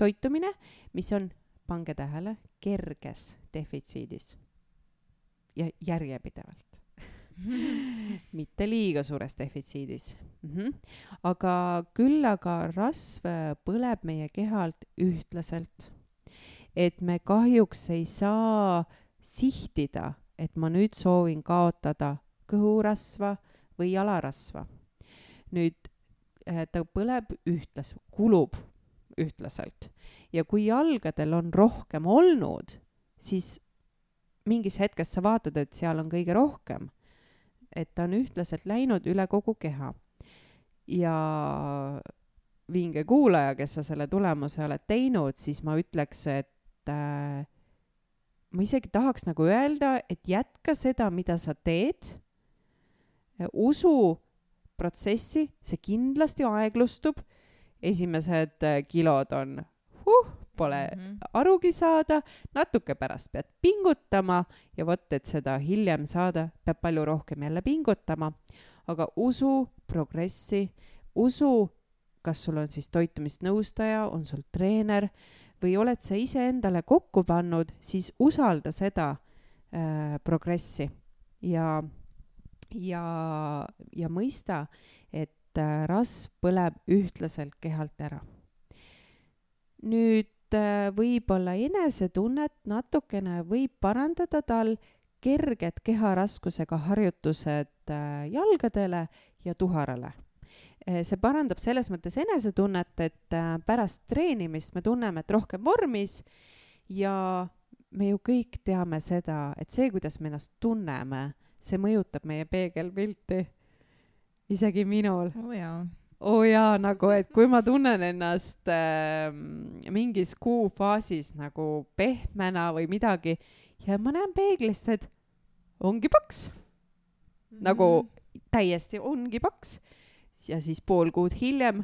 toitumine, mis on, pange tähele, kerges defitsiidis ja järjepidevalt. Mitte liiga suures defitsiidis. Mm-hmm. Aga küll aga rasv põleb meie kehalt ühtlaselt. Et me kahjuks ei saa sihtida, et ma nüüd soovin kaotada kõhurasva või jalarasva. Nüüd ta põleb ühtlas, kulub ühtlaselt. Ja kui jalgadel on rohkem olnud, siis mingis hetkes sa vaatad, et seal on kõige rohkem. Et ta on ühtlaselt läinud üle kogu keha. Ja vinge kuulaja, kes sa selle tulemuse oled teinud, siis ma ütleks, et äh, ma isegi tahaks nagu öelda, et jätka seda, mida sa teed. Usu protsessi, see kindlasti aeglustub. Esimesed kilod on, huh, pole mm-hmm. arugi saada, natuke pärast pead pingutama ja võt, et seda hiljem saada, peab palju rohkem jälle pingutama. Aga usu progressi, usu, kas sul on siis toitumisnõustaja, on sul treener või oled sa ise endale kokku pannud, siis usalda seda äh, progressi ja, ja, ja mõista, et äh, rasv põleb ühtlaselt kehalt ära. Nüüd äh, võib-olla enesetunnet natukene võib parandada tal kerged keharaskusega harjutused äh, jalgadele ja tuharale. See parandab selles mõttes enesetunnet, et pärast treenimist me tunneme, et rohkem vormis ja me ju kõik teame seda, et see, kuidas me ennast tunneme, see mõjutab meie peegelpilti. Isegi minul. Oh jaa. Oh jaa, nagu, et kui ma tunnen ennast äh, mingis kuufaasis nagu pehmena või midagi ja ma näen peeglist, et ongi paks. Mm-hmm. Nagu täiesti ongi paks. Ja siis pool kuud hiljem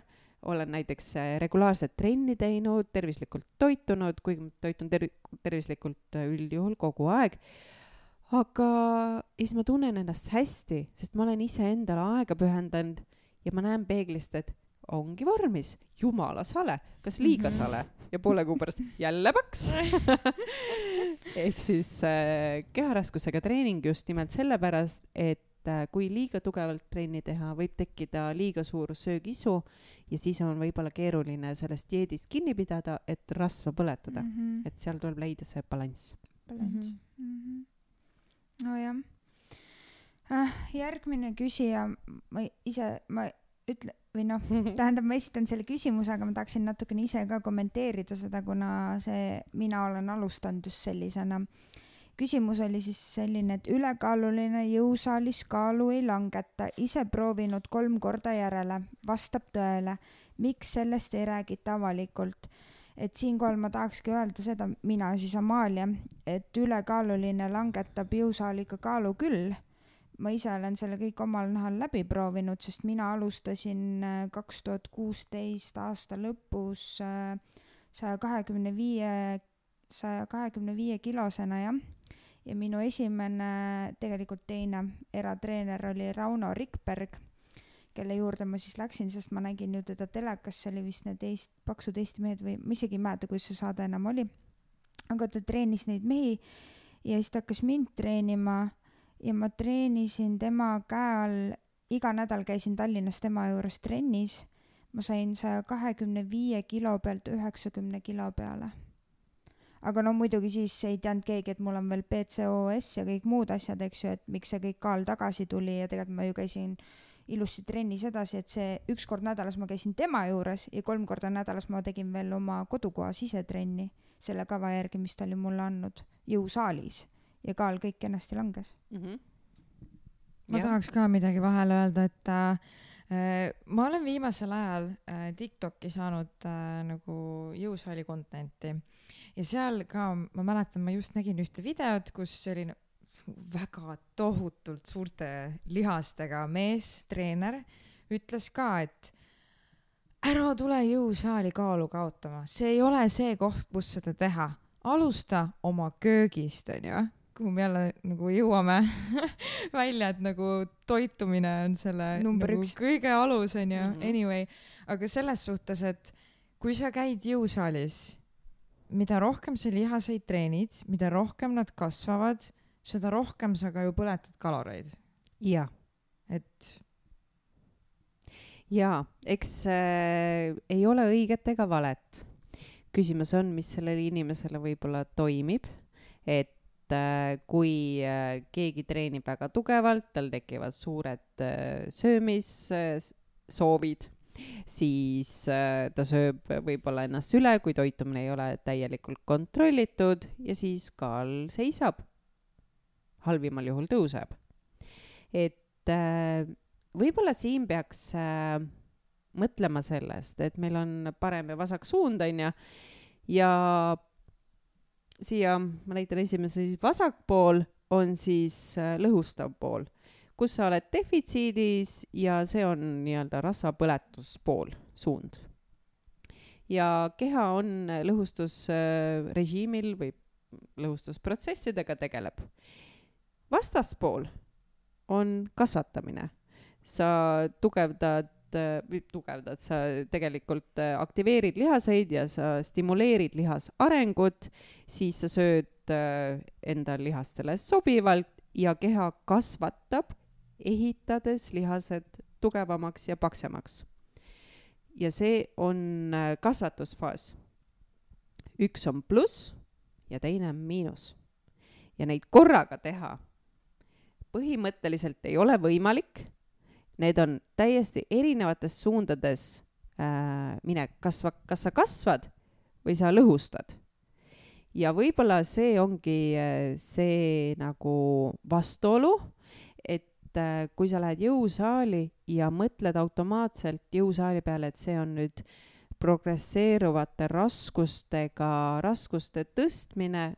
olen näiteks regulaarset trenni teinud, tervislikult toitunud, kuigi toitun ter- tervislikult üldjuhul kogu aeg. Aga siis ma tunnen ennast hästi, sest ma olen ise endale aega pühendanud ja ma näen peeglist, et ongi vormis, jumala sale, kas liiga sale ja poole kuu pärast jälle paks. Ehk siis äh, keharaskusega treening just nimelt sellepärast, et kui liiga tugevalt trenni teha, võib tekkida liiga suur söögisu ja siis on võib-olla keeruline sellest dieedist kinni pidada, et rasva põletada. Mm-hmm. Et seal tuleb leida see balanss. Balanss. Mm-hmm. No jah. Äh, järgmine küsija, ma ise, ma ütle, või noh, tähendab, ma esitan selle küsimuse, aga ma tahaksin natukene ise ka kommenteerida seda, kuna see, mina olen alustanud just sellisena. Küsimus oli siis selline, et ülekaaluline jõusaalis kaalu ei langeta, ise proovinud kolm korda järele, vastab tõele. Miks sellest ei räägita avalikult? Et siinkohal ma tahakski öelda seda, mina siis Amalia, et ülekaaluline langetab jõusaaliga kaalu küll. Ma ise olen selle kõik omal nahal läbi proovinud, sest mina alustasin kaks tuhat kuusteist aasta lõpus saja kahekümne viie kilosena, jah. Ja minu esimene, tegelikult teine eratreener oli Rauno Rikberg, kelle juurde ma siis läksin, sest ma nägin ju teda telekas, see oli vist need eest, paksud Eesti mehed või ma isegi ei mäleta, kuidas see saade enam oli. aga ta treenis neid mehi ja siis ta hakkas mind treenima ja ma treenisin tema käe all, iga nädal käisin Tallinnas tema juures trennis. Ma sain saja kahekümne viie kilo pealt üheksakümne kilo peale. Aga no muidugi siis ei teadnud keegi, et mul on veel P C O S ja kõik muud asjad, eks ju, et miks see kõik kaal tagasi tuli ja tegelikult ma ju käisin ilusti trennis edasi, et see üks kord nädalas ma käisin tema juures ja kolm korda nädalas ma tegin veel oma kodukoha sisetrenni selle kava järgi, mis ta oli mulle andnud jõusaalis ja kaal kõik ennasti langes. Mm-hmm. Ma ja. tahaks ka midagi vahele öelda, et äh, ma olen viimasel ajal äh, TikTok'i saanud äh, nagu jõusaali contenti ja seal ka, ma mäletan, ma just nägin ühte videot, kus selline väga tohutult suurte lihastega mees, treener, ütles ka, et ära tule jõusaali kaalu kaotama, see ei ole see koht, kus seda teha. Alusta oma köögist, on ju, kuhu me jälle nagu jõuame välja, et nagu toitumine on selle nagu kõige alus, on ju, mm-hmm. anyway. Aga selles suhtes, et kui sa käid jõusaalis, mida rohkem sa lihaseid treenid, mida rohkem nad kasvavad, seda rohkem sa ka ju põletad kaloreid. Ja. Et... Ja, eks äh, ei ole õiget ega valet. Küsimus on, mis sellele inimesele võib-olla toimib, et äh, kui äh, keegi treenib väga tugevalt, tal tekivad suured äh, söömissoovid, siis äh, ta sööb võib-olla ennast üle, kui toitumine ei ole täielikult kontrollitud ja siis kaal seisab. Halvimal juhul tõuseb. Et äh, võib-olla siin peaks äh, mõtlema sellest, et meil on parem ja vasak suund, on ja, ja siia, ma näitan esimese siis vasak pool, on siis äh, lõhustav pool, kus sa oled defitsiidis ja see on nii-öelda rasvapõletuspool, suund. Ja keha on lõhustusrežiimil või lõhustusprotsessidega tegeleb. Vastaspool on kasvatamine. Sa tugevdad, või tugevdad, sa tegelikult aktiveerid lihaseid ja sa stimuleerid lihas arengut, siis sa sööd enda lihastele sobivalt ja keha kasvatab, ehitades lihased tugevamaks ja paksemaks. Ja see on kasvatusfaas. Üks on pluss ja teine on miinus. Ja neid korraga teha põhimõtteliselt ei ole võimalik. Need on täiesti erinevates suundades äh, mine, kas, kas sa kasvad või sa lõhustad. Ja võib-olla see ongi see nagu vastuolu, et äh, kui sa lähed jõusaali ja mõtled automaatselt jõusaali peale, et see on nüüd progresseeruvate raskustega, raskuste tõstmine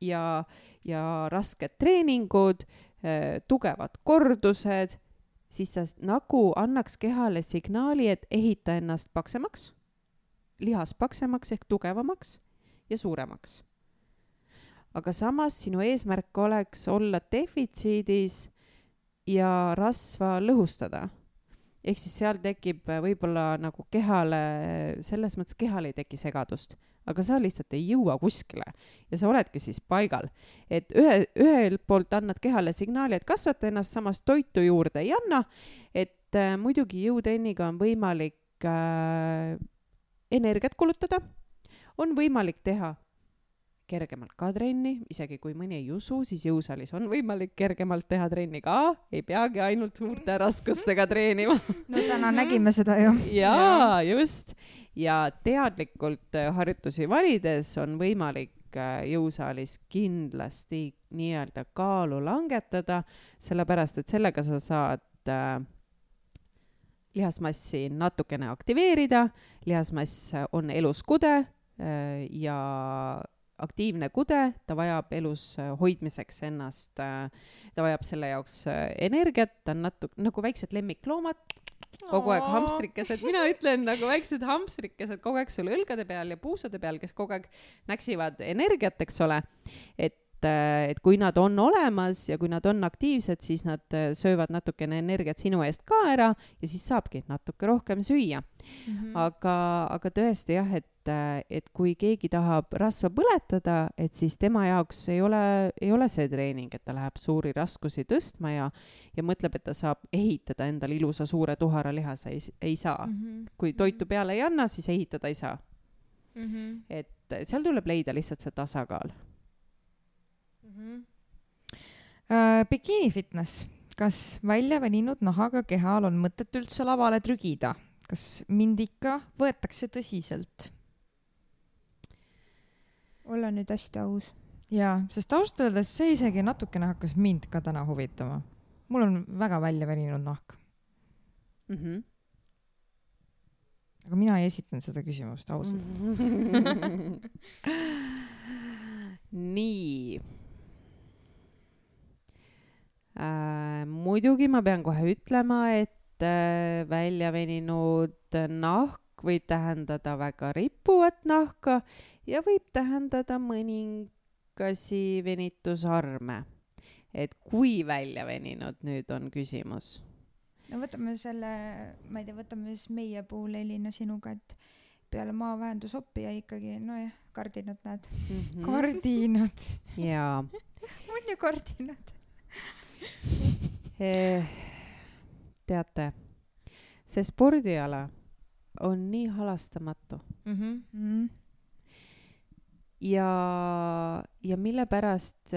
ja, ja rasked treeningud, tugevad kordused, siis sa nagu annaks kehale signaali, et ehita ennast paksemaks, lihas paksemaks ehk tugevamaks ja suuremaks. Aga samas sinu eesmärk oleks olla defitsiidis ja rasva lõhustada. Ehk siis seal tekib võib-olla nagu kehale, selles mõttes kehale ei teki segadust, aga sa lihtsalt ei jõua kuskile ja sa oledki siis paigal. Et ühe, ühel poolt annad kehale signaali, et kasvata ennast, samas toitu juurde ei anna, et äh, muidugi jõutrenniga on võimalik äh, energiat kulutada, on võimalik teha kergemalt ka trenni, isegi kui mõni ei usu, siis jõusaalis on võimalik kergemalt teha trenni ka, ei peagi ainult suurte raskustega treenima. No täna nägime seda ju. Jaa, just. Ja teadlikult harjutusi valides on võimalik jõusaalis kindlasti nii-öelda kaalu langetada, sellepärast, et sellega sa saad äh, lihasmassi natukene aktiveerida, lihasmass on elus kude äh, ja aktiivne kude, ta vajab elus hoidmiseks ennast, ta vajab selle jaoks energiat, ta on natuke nagu väiksed lemmikloomad, kogu aeg hamstrikesed, mina ütlen nagu väiksed hamstrikesed kogu aeg sul õlgade peal ja puusade peal, kes kogu aeg näksivad energiat, eks ole, et, et kui nad on olemas ja kui nad on aktiivsed, siis nad söövad natukene energiat sinu eest ka ära ja siis saabki natuke rohkem süüa. Mm-hmm. Aga, aga tõesti jah, et et kui keegi tahab rasva põletada, et siis tema jaoks ei ole, ei ole see treening, et ta läheb suuri raskusi tõstma ja, ja mõtleb, et ta saab ehitada endale ilusa suure tuhara lihase, ei, ei saa. Mm-hmm. Kui toitu peale ei anna, siis ehitada ei saa. Mm-hmm. Et seal tuleb leida lihtsalt see tasakaal. Mm-hmm. Uh, bikini fitness. Kas välja veninud nahaga kehal on mõtet üldse lavale trügida? Kas mind ikka võetakse tõsiselt? Olla nüüd hästi aus. Jaa, sest ausalt öeldes see isegi natukene hakkas mind ka täna huvitama. Mul on väga välja veninud nahk. Mm-hmm. Aga mina ei esitanud seda küsimust ausalt. Nii. Äh, muidugi ma pean kohe ütlema, et äh, välja veninud nahk võib tähendada väga rippuvat nahka ja võib tähendada mõningasi venitusarme. Et kui välja veninud nüüd on küsimus? No võtame selle, ma ei tea, võtame siis meie puhul Elina sinuga, et peale maavähendusoppi ja ikkagi, no jah, kardinad näed. Mm-hmm. Kardinad. Jaa. On ju kardinad. Teate, see spordiala on nii halastamatu. Mm-hmm. ja, ja mille pärast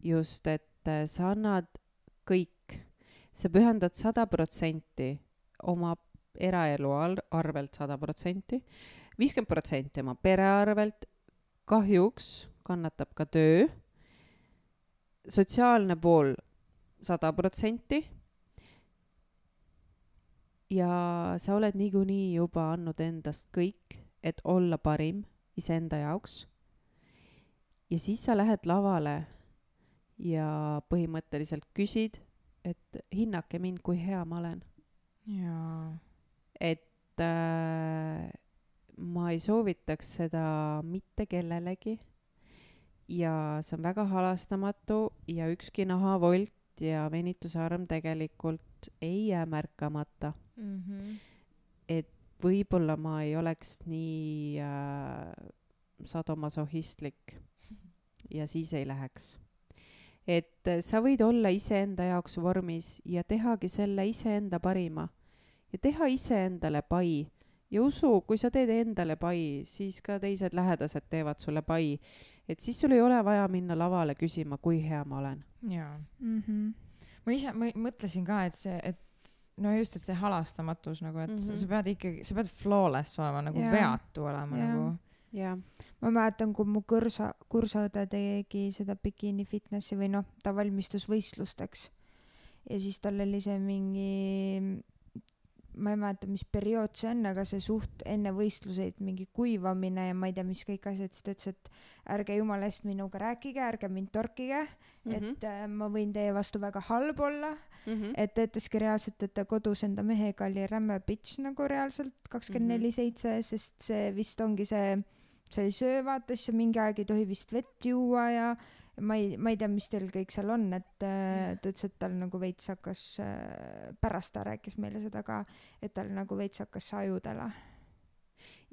just, et sa annad kõik, sa pühendad sada protsenti oma eraelu arvelt sada protsenti, viiskümmend protsenti oma pere arvelt, kahjuks kannatab ka töö, sotsiaalne pool sada protsenti ja sa oled niikuinii juba andnud endast kõik, et olla parim iseenda jaoks. Ja siis sa lähed lavale ja põhimõtteliselt küsid, et hinnake mind, kui hea ma olen. Jaa. Et äh, ma ei soovitaks seda mitte kellelegi. Ja see on väga halastamatu ja ükski nahavolt ja venitusarm tegelikult ei jää märkamata. Mm-hmm. Et võib-olla ma ei oleks nii äh, sadomasohistlik ja siis ei läheks. Et sa võid olla iseenda jaoks vormis ja tehagi selle iseenda parima ja teha iseendale pai. Ja usu, kui sa teed endale pai, siis ka teised lähedased teevad sulle pai. Et siis sul ei ole vaja minna lavale küsima, kui hea ma olen. Jaa. Mm-hmm. Ma ise ma mõtlesin ka, et see, et no just, et see halastamatus, nagu, et mm-hmm. sa pead ikkagi, sa pead flawless olema, nagu ja. Veatu olema. Ja. Nagu. Ja. Ma mäletan, kui mu kursa, kursaõde tegi seda bikini fitnessi või noh, ta valmistus võistlusteks. Ja siis tal oli see mingi... ma ei mäleta, mis periood see on, aga see suht enne võistluseid mingi kuivamine ja ma ei tea, mis kõik asjad, siis ta ütles, et ärge jumala eest minuga rääkige, ärge mind torkige, mm-hmm. et äh, ma võin teie vastu väga halb olla, mm-hmm. et ta ütleski reaalselt, et ta kodus enda mehega oli rämme bitch nagu reaalselt kakskümmend neli seitse, sest see vist ongi see, sa ei söö, vaata, siis mingi aeg ei tohi vist vett juua ja ma ei, ma ei tea, mis teil kõik seal on, et äh, ta ütles, et tal nagu veits hakkas, äh, pärast ta rääkis meile seda ka, et tal nagu veits hakkas ajudele.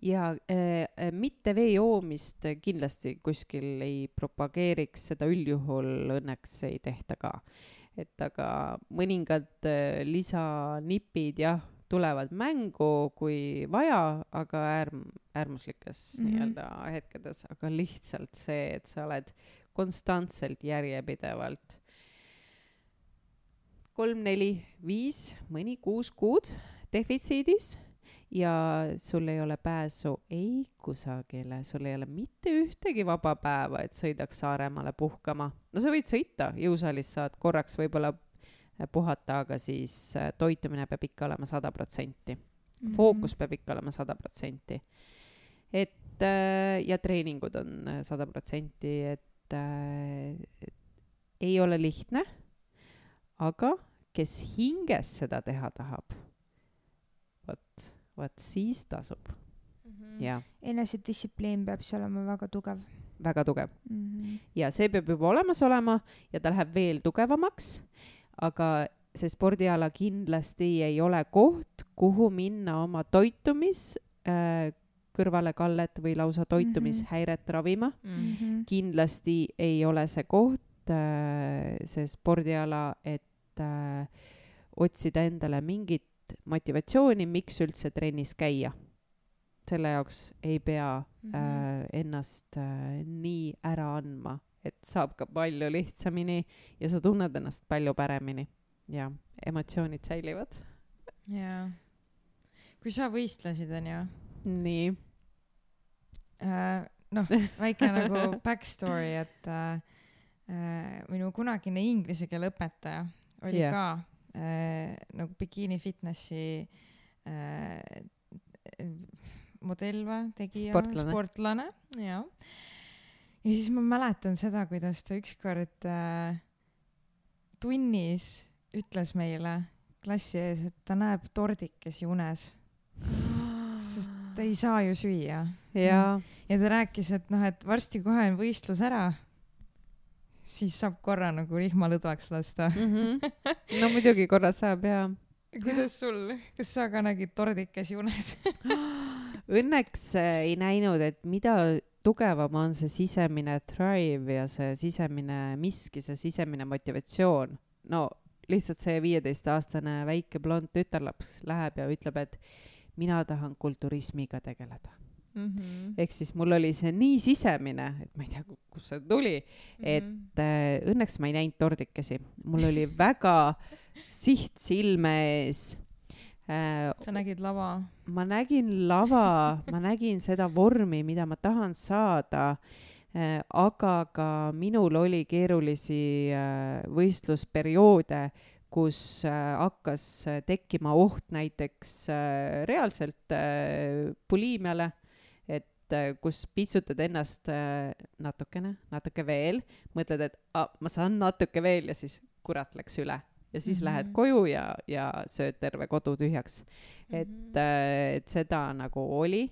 Ja äh, mitte vee joomist kindlasti kuskil ei propageeriks, seda üldjuhul õnneks ei tehta ka. Et aga mõningad äh, lisanipid jah, tulevad mängu kui vaja, aga äärm, äärmuslikes mm-hmm. nii-öelda hetkedes, aga lihtsalt see, et sa oled konstantselt järjepidevalt kolm, neli, viis, mõni kuus kuud defitsiidis ja sul ei ole pääsu ei kusagile, sul ei ole mitte ühtegi vaba päeva, et sõidaks Saaremaale puhkama. No sa võid sõita, jõusaalis saad korraks võib-olla puhata, aga siis toitumine peab ikka olema sada protsenti. Mm-hmm. Fookus peab ikka olema sada protsenti. Et ja treeningud on sada protsenti, et äh, ei ole lihtne, aga kes hinges seda teha tahab, võt, võt siis tasub. Mm-hmm. Ja. Enesedistsipliin peab see olema väga tugev. Väga tugev. Mm-hmm. Ja see peab juba olemas olema ja ta läheb veel tugevamaks, aga see spordiala kindlasti ei ole koht, kuhu minna oma toitumis äh, kõrvalekallet või lausa toitumishäiret ravima. Mhm. Kindlasti ei ole see koht, äh, see spordiala, et äh, otsida endale mingit motivatsiooni, miks üldse trennis käia. Selle jaoks ei pea äh, ennast äh, nii ära andma, et saab ka palju lihtsamini ja sa tunned ennast palju paremini. Ja emotsioonid säilivad. Jaa. Kui sa võistlesid, on ju? Nii. Äh, noh, väike nagu backstory, et äh, minu kunagine inglise keele õpetaja oli yeah. ka äh, nagu Bikini Fitnessi äh, modell või tegija, sportlane, sportlane ja. ja siis ma mäletan seda, kuidas ta ükskord äh, tunnis ütles meile klassi ees, et ta näeb tordikesi unes, sest ta ei saa ju süüa. Ja, ja ta rääkis, et noh, et varsti kohe on võistlus ära, siis saab korra nagu rihma lõdvaks lasta. mm-hmm. No muidugi korra saab, jaa. Kuidas sul? Kas sa ka nägid tordikesi unes? Õnneks ei näinud, et mida tugevam on see sisemine drive ja see sisemine miski, see sisemine motivatsioon. No lihtsalt see viieteistaastane väike blond tütarlaps läheb ja ütleb, et mina tahan kulturismiga tegeleda. Mm-hmm. Ehk siis mul oli see nii sisemine, et ma ei tea, kus see tuli, mm-hmm. et äh, õnneks ma ei näinud tordikesi. Mul oli väga siht silme ees. Äh, sa nägid lava? Ma nägin lava, ma nägin seda vormi, mida ma tahan saada, äh, aga ka minul oli keerulisi äh, võistlusperioode, kus äh, hakkas tekkima oht näiteks äh, reaalselt äh, buliimiale, et äh, kus pitsutad ennast äh, natukene, natuke veel, mõtled, et ah, ma saan natuke veel ja siis kurat läks üle. Ja siis mm-hmm. lähed koju ja, ja sööd terve kodu tühjaks. Mm-hmm. Et, äh, et seda nagu oli.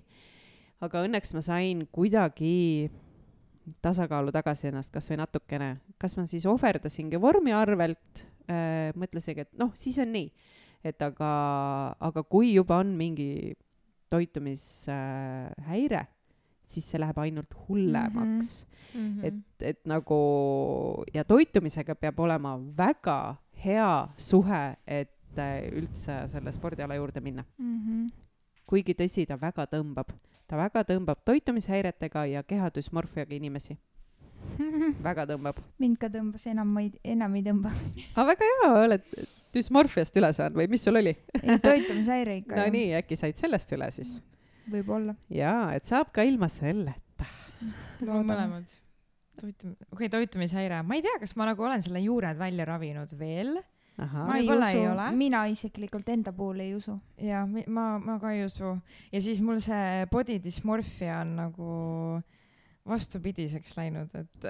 Aga õnneks ma sain kuidagi tasakaalu tagasi ennast kas või natukene. Kas ma siis ohverdasingi vormi arvelt, äh, mõtlesingi, et noh, siis on nii. Et aga, aga kui juba on mingi toitumishäire, äh, siis see läheb ainult hullemaks. Mm-hmm. Et, et nagu, ja toitumisega peab olema väga hea suhe, et äh, üldse selle spordiala juurde minna. Mm-hmm. Kuigi tõsi, ta väga tõmbab. Ta väga tõmbab toitumishäiretega ja kehadüsmorfiaga inimesi. Väga tõmbab. Mind ka tõmbas, enam ei, enam ei tõmba. Aga väga hea, oled düsmorfiast üle saanud või mis sul oli? Ei, toitumishäire ikka. No nii, äkki said sellest üle siis? Võib-olla. Jaa, et saab ka ilma selleta. No mõlemad. Toitum... Okei, okay, toitumishäire. Ma ei tea, kas ma nagu olen selle juured välja ravinud veel. Aha. Ma ei usu, ei mina isiklikult enda puhul ei usu. Ja, ma, ma ka ei usu. Ja siis mul see body dysmorphia on nagu vastupidiseks läinud, et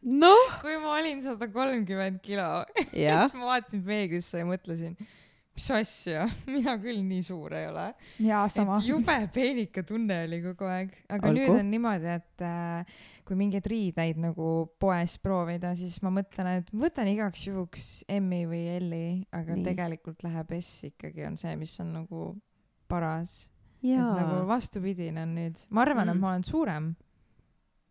no? Kui ma olin sada kolmkümmend kilo, siis ma vaatasin peeglisse ja mõtlesin, mis asja, mina küll nii suur ei ole. Jaa, sama. Et jube peenika tunne oli kogu aeg. Aga Algu. Nüüd on niimoodi, et äh, kui mingeid riideid nagu poes proovida, siis ma mõtlen, et võtan igaks juhuks M-i või L-i, aga nii. Tegelikult läheb S ikkagi on see, mis on nagu paras. Jaa. Et nagu vastupidine on nüüd. Ma arvan, mm. et ma olen suurem.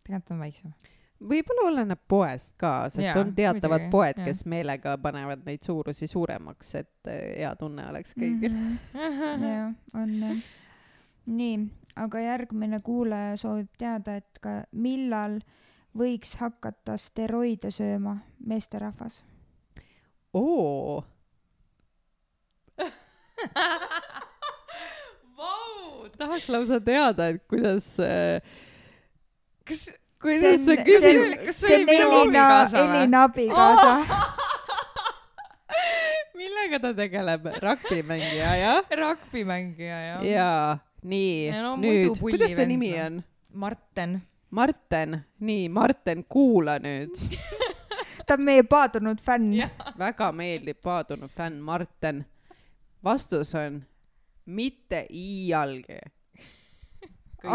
Tegelikult on väiksem. Võib-olla oleneb poest ka, sest ja, on teatavad muidugi, poed, ja. Kes meelega panevad neid suurusi suuremaks, et hea tunne oleks kõigil. Mm-hmm. Ja, on. Nii, aga järgmine kuulaja soovib teada, et ka millal võiks hakata steroide sööma meesterahvas? Oo! Vau! Tahaks lausa teada, et kuidas... Kas... Kuidas see küsim... See on Elina, Elina abikaasa. Millega ta tegeleb? Rugbymängija, jah? Rugbymängija, jah. Jaa, nii, no, nüüd. Kuidas ta nimi on? Marten. Marten, nii, Marten, kuula nüüd. Ta on meie paadunud fänn. Väga meeldib paadunud fänn Marten. Vastus on mitte iialgi.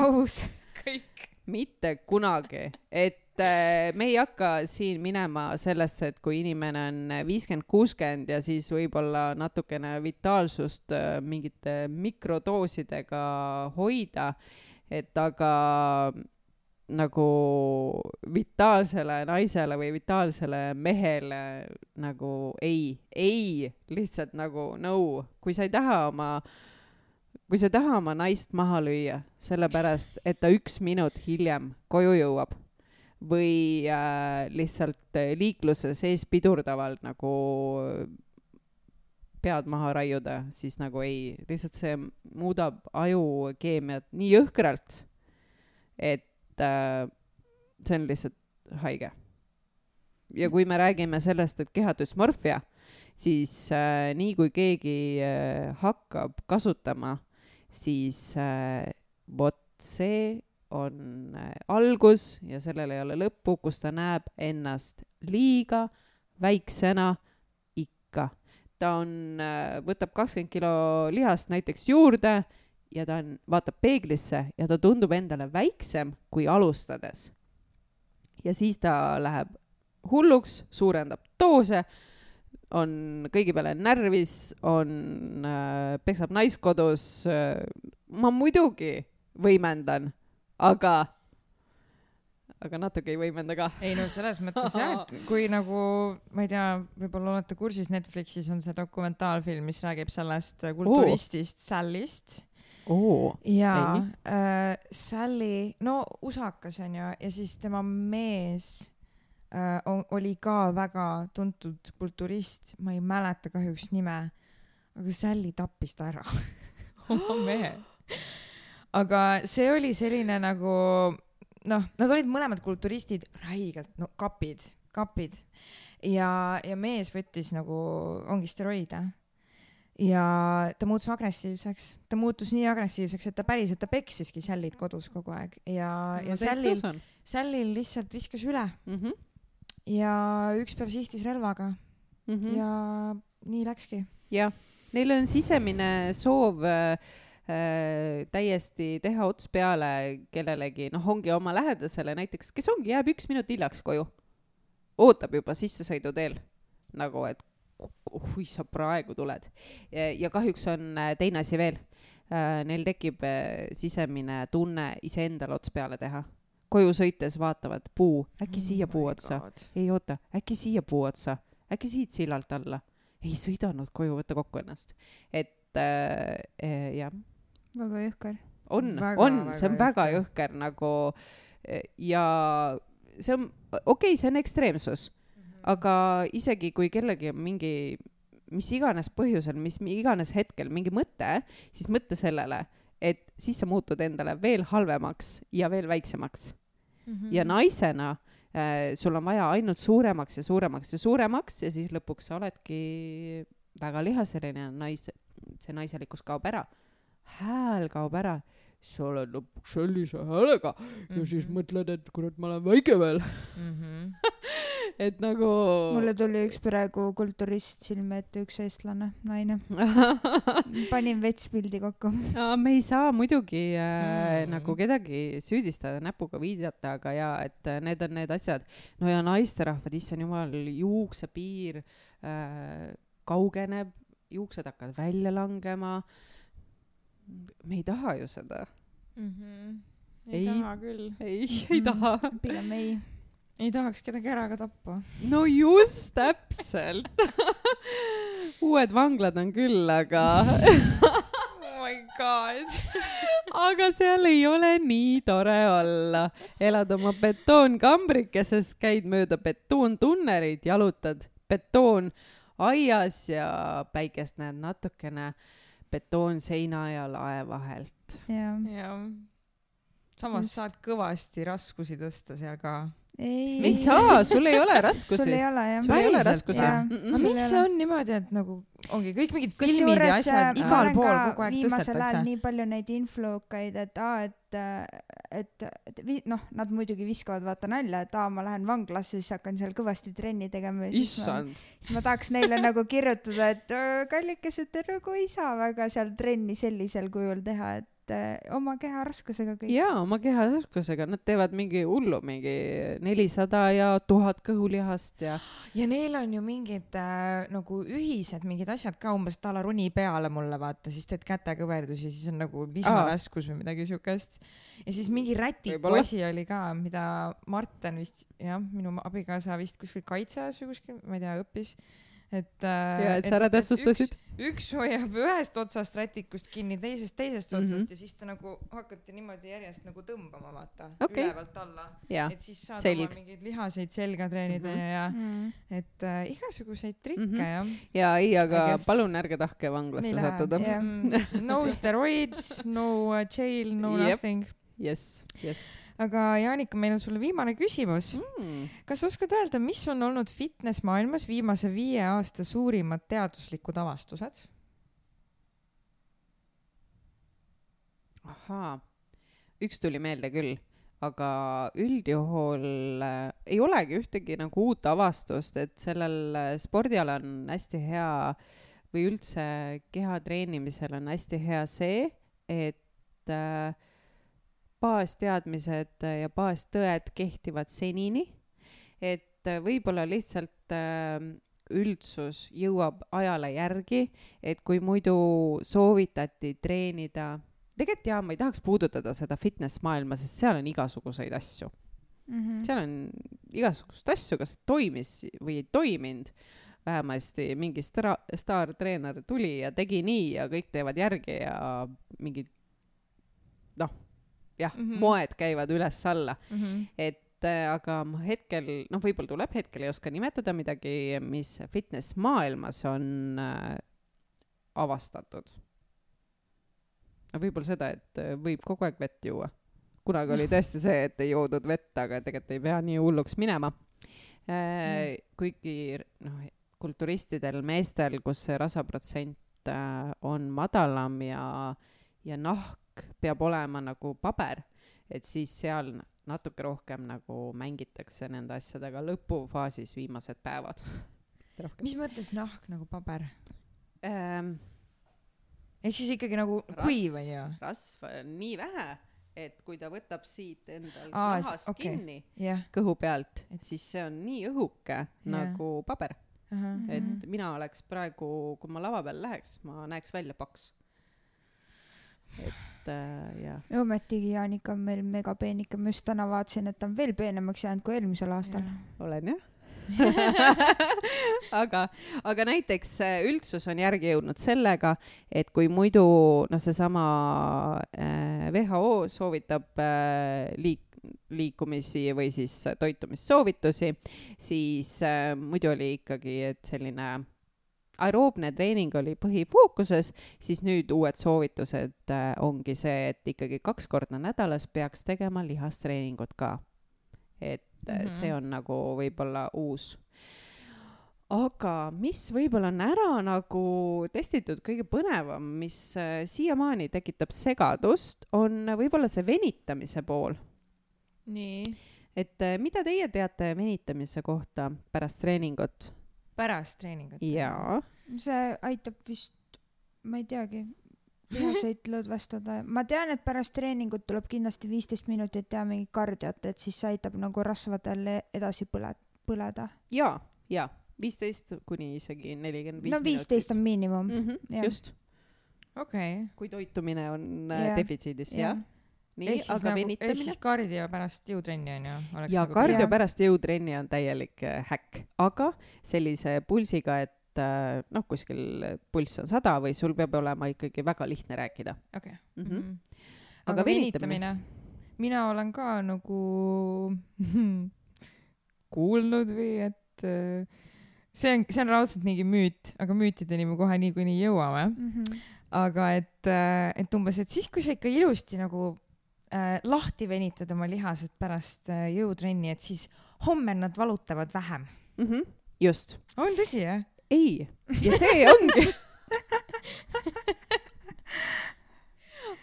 Aus. Kõik. mitte kunagi, et äh, me ei hakka siin minema sellesse, et kui inimene on viiskümmend kuuskümmend ja siis võib-olla natukene vitaalsust äh, mingite mikrodoosidega hoida, et aga nagu vitaalsele naisele või vitaalsele mehele nagu ei, ei, lihtsalt nagu no, kui sa ei taha oma kui sa ei taha oma naist maha lüüa, sellepärast, et ta üks minut hiljem koju jõuab või äh, lihtsalt liikluse sees pidurdavalt nagu pead maha raiuda, siis nagu ei, lihtsalt see muudab ajukeemiat nii jõhkralt, et äh, see on lihtsalt haige. Ja kui me räägime sellest, et kehadüsmorfia, siis äh, nii kui keegi äh, hakkab kasutama, siis äh, vot see on äh, algus ja sellel ei ole lõppu, kus ta näeb ennast liiga väiksena ikka. Ta on, äh, võtab kakskümmend kilo lihast näiteks juurde ja ta on, vaatab peeglisse ja ta tundub endale väiksem kui alustades. Ja siis ta läheb hulluks, suurendab doose, on kõigi peale närvis, on, äh, peksab naiskodus. Äh, ma muidugi võimendan, aga, aga natuke ei võimenda ka. Ei no selles mõttes jah, et kui nagu, ma ei tea, võib-olla olete kursis, Netflixis on see dokumentaalfilm, mis räägib sellest kulturistist oh. Sallyst. Oh. Ja äh, Sally, no usakas on ju, ja siis tema mees Uh, oli ka väga tuntud kulturist, ma ei mäleta kahjuks nime, aga Sally tappis ta ära oma mehe. Aga see oli selline nagu, noh, nad olid mõlemad kulturistid, räigelt, no kapid, kapid. Ja, ja mees võttis nagu, ongi steroide. Ja ta muutus agressiivseks. Ta muutus nii agressiivseks, et ta päriselt, ta peksiski Sallyt kodus kogu aeg. Ja, ja Sallil, Sallil lihtsalt viskas üle. Mhm. Ja üks päev sihtis relvaga mm-hmm. ja nii läkski. Ja, neil on sisemine soov äh, täiesti teha ots peale kellelegi, noh ongi oma lähedasele näiteks, kes ongi, jääb üks minut hiljaks koju. Ootab juba sissesõidu teel, nagu et kui sa praegu tuled. Ja, ja kahjuks on teine asi veel. Äh, neil tekib äh, sisemine tunne iseendale ots peale teha. Koju sõites vaatavad puu, äkki siia puu otsa. Ei oota, äkki siia puu otsa. Äkki siit sillalt alla. Ei sõidanud koju, võtta kokku ennast. Et äh, äh, jah. Väga jõhker. On, väga, on, see on väga jõhker nagu ja see on, okei, okay, see on ekstreemsus, mm-hmm. aga isegi kui kellegi on mingi, mis iganes põhjusel, mis iganes hetkel mingi mõte, siis mõtte sellele, et siis sa muutud endale veel halvemaks ja veel väiksemaks. Mm-hmm. Ja naisena äh, sul on vaja ainult suuremaks ja suuremaks ja suuremaks ja siis lõpuks sa oledki väga lihaseline nais, see naiselikkus kaob ära. Hääl kaob ära. Sa oled lõpuks sellise häälega mm-hmm. ja siis mõtled, et kurat, ma olen väike veel. Mm-hmm. Et nagu... Mulle tuli üks praegu kulturist silme ette, üks eestlane, naine. Panin vetspildi kokku. Ja, me ei saa muidugi äh, mm. nagu kedagi süüdistada, näpuga viidata, aga ja, et need on need asjad. No ja naisterahvad, issand jumal, juuksepiir äh, kaugeneb, juuksed hakkavad välja langema. Me ei taha ju seda. Mm-hmm. Ei, ei taha küll. Ei, ei taha. Pigem ei. Ei tahaks kedagi ära ka tappa. No just, täpselt. Uued vanglad on küll, aga... Oh my god. Aga seal ei ole nii tore olla. Elad oma betoonkambrikeses, käid mööda betoontunnerid, jalutad betoon aias ja päikest näed natukene betoon seina ja lae vahelt. Ja. Ja. Samas Just. saad kõvasti raskusi tõsta seal ka. Ei, ei saa, sul ei ole raskusi. Sul ei ole, jah. Sul ei ole raskusi. Aga miks see on niimoodi, et nagu ongi kõik mingid filmid ja asjad igal pool kogu aeg tõstetakse? Viimasel ajal nii palju neid influkaid, et aa, et, et, et vi, noh, nad muidugi viskavad vaata nalja, et aa, ma lähen vanglasse, siis hakkan seal kõvasti trenni tegema. Issand. Ma, siis ma tahaks neile nagu kirjutada, et kallikesed, te nagu ei saa väga seal trenni sellisel kujul teha, et et äh, oma keharaskusega kõik. jaa, oma keharaskusega, nad teevad mingi hullu, mingi nelisada ja tuhat kõhulihast ja ja neil on ju mingid äh, nagu ühised mingid asjad ka, umbes tala runi peale mulle vaata, siis teed kätekõverdusi, siis on nagu lisaraskus või midagi siukest. Ja siis mingi rätiku asi oli ka, mida Marten vist, jah, minu abikaasa vist kuskil kaitseas või kuskil, ma ei tea, õppis. Et, ja, et sa ära täpsustasid. Üks, üks hoiab ühest otsast rätikust kinni, teisest teisest otsast mm -hmm. ja siis ta nagu hakati niimoodi järjest nagu tõmbama, vaata, okay. ülevalt alla. Ja, et siis saad Selg. Oma mingeid lihaseid selga treenida mm -hmm. ja mm -hmm. et äh, igasuguseid trikke mm -hmm. ja. ja ei, aga guess... palun ärge tahke vanglasse sattuda. Yeah. No steroids, no uh, jail, no yep. nothing. Yes, yes. Aga Jaanika, meil on sulle viimane küsimus. Mm. Kas oskad öelda, mis on olnud fitness maailmas viimase viie aasta suurimad teaduslikud avastused? Ahaa, üks tuli meelde küll, aga üldjuhul äh, ei olegi ühtegi nagu uut avastust, et sellel spordialal on hästi hea või üldse keha treenimisel on hästi hea see, et äh, baasteadmised ja baastõed kehtivad senini, et võib-olla lihtsalt üldsus jõuab ajale järgi, et kui muidu soovitati treenida, tegelikult jah, ma ei tahaks puudutada seda fitness maailma, sest seal on igasuguseid asju. Mm-hmm. seal on igasugust asju, kas toimis või ei toiminud. Vähemasti mingi star, staartreener tuli ja tegi nii ja kõik teevad järgi ja mingid noh, jah, mm-hmm. moed käivad üles-alla. Mm-hmm. Et äh, aga hetkel, noh, võib-olla tuleb hetkel ei oska nimetada midagi, mis fitness maailmas on äh, avastatud. Võib-olla seda, et äh, võib kogu aeg vett juua. Kunagi oli tõesti see, et ei joodud vett, aga tegelikult ei pea nii hulluks minema. Äh, mm. Kuigi noh, kulturistidel meestel, kus see rasaprotsent äh, on madalam ja, ja nahk peab olema nagu paber, et siis seal natuke rohkem nagu mängitakse nende asjadega lõpufaasis viimased päevad. Mis mõttes nahk nagu paber? Ähm, Ehk siis ikkagi nagu kuiv on ju? Rasv on nii vähe, et kui ta võtab siit endal Aa, nahast okay. kinni yeah. kõhu pealt, et siis see on nii õhuke yeah. nagu paber. Uh-huh. Et mina oleks praegu, kui ma lava peal läheks, ma näeks välja paks. Et äh, jah. Ja ometigi Jaanika on meil megapeenike, ma just täna vaatasin, et ta on veel peenemaks jäänud kui eelmisel aastal. Ja. Olen jah. aga, aga näiteks üldsus on järgi jõudnud sellega, et kui muidu no seesama äh, W H O soovitab äh, liik, liikumisi või siis toitumissoovitusi, siis äh, muidu oli ikkagi, et selline aeroobne treening oli põhifookuses, siis nüüd uued soovitused äh, ongi see, et ikkagi kaks korda nädalas peaks tegema lihastreeningut ka. Et mm-hmm. see on nagu võib-olla uus. Aga mis võib-olla on ära nagu testitud kõige põnevam, mis äh, siiamaani tekitab segadust, on võib-olla see venitamise pool. Nii. Et äh, mida teie teate venitamise kohta pärast treeningut? Pärast treeningut? Jaa. See aitab vist, ma ei teagi, lihaseid lõdvestada. Ma tean, et pärast treeningut tuleb kindlasti viisteist minutit teha mingi kardiat, et siis see aitab nagu rasvadel edasi põle, põleda. Jaa, jaa. viisteist kuni isegi nelikümmend viis no viisteist minutit. On miinimum. Mm-hmm, just. Okay. Kui toitumine on yeah. defitsiidis, jah. Ja. Nii, ehk siis, nagu, ehk siis kardio pärast jõutrenni on ju? Ja nagu kardio jah. Pärast jõutrenni on täielik äh, häkk, aga sellise pulsiga, et äh, noh, kuskil pulss on sada või sul peab olema ikkagi väga lihtne rääkida. Okay. Mm-hmm. Mm-hmm. Aga, aga venitamine? Mina olen ka nagu kuulnud või et äh, see on, see on raudselt mingi müüt, aga müütideni me kohe nii kui nii jõuame. Mm-hmm. Aga et, äh, et umbes, et siis kui sa ikka ilusti nagu Äh, lahti venitad oma lihased pärast äh, jõutrenni, et siis homme nad valutavad vähem. Mm-hmm. Just. On tõsi, jah? Ei. Ja see ongi.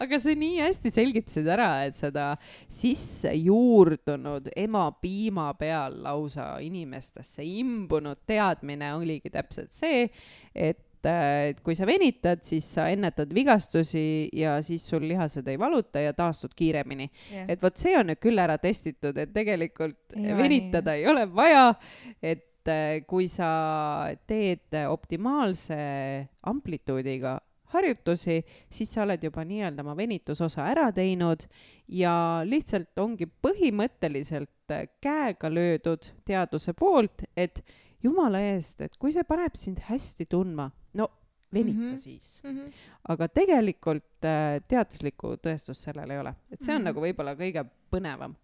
Aga see nii hästi selgitasid ära, et seda sisse juurdunud ema piima peal lausa inimestesse imbunud teadmine oligi täpselt see, et et kui sa venitad, siis sa ennetad vigastusi ja siis sul lihased ei valuta ja taastud kiiremini yeah.. et vot see on nüüd küll ära testitud, et tegelikult ei venitada ei ole vaja, et kui sa teed optimaalse amplituudiga harjutusi, siis sa oled juba nii-öelda oma venitusosa ära teinud ja lihtsalt ongi põhimõtteliselt käega löödud teaduse poolt, et jumala eest, et kui see paneb sind hästi tundma, no venita mm -hmm. siis. Mm -hmm. aga tegelikult teaduslikku tõestust sellel ei ole. Et see on mm -hmm. nagu võib-olla kõige põnevam.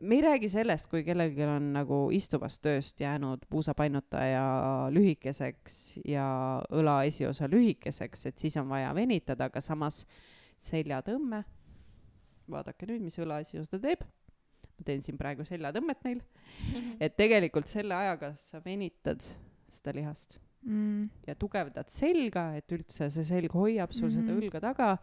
Me ei räägi sellest, kui kellelgi on nagu istuvast tööst jäänud puusapainutaja lühikeseks ja õla esiosa lühikeseks, et siis on vaja venitada, aga samas seljatõmme, vaadake nüüd, mis õla esiosa teeb. Ma teen siin praegu seljatõmmet neil. Et tegelikult selle ajaga sa venitad seda lihast mm. ja tugevdad selga, et üldse see selg hoiab sul mm -hmm. seda õlga taga.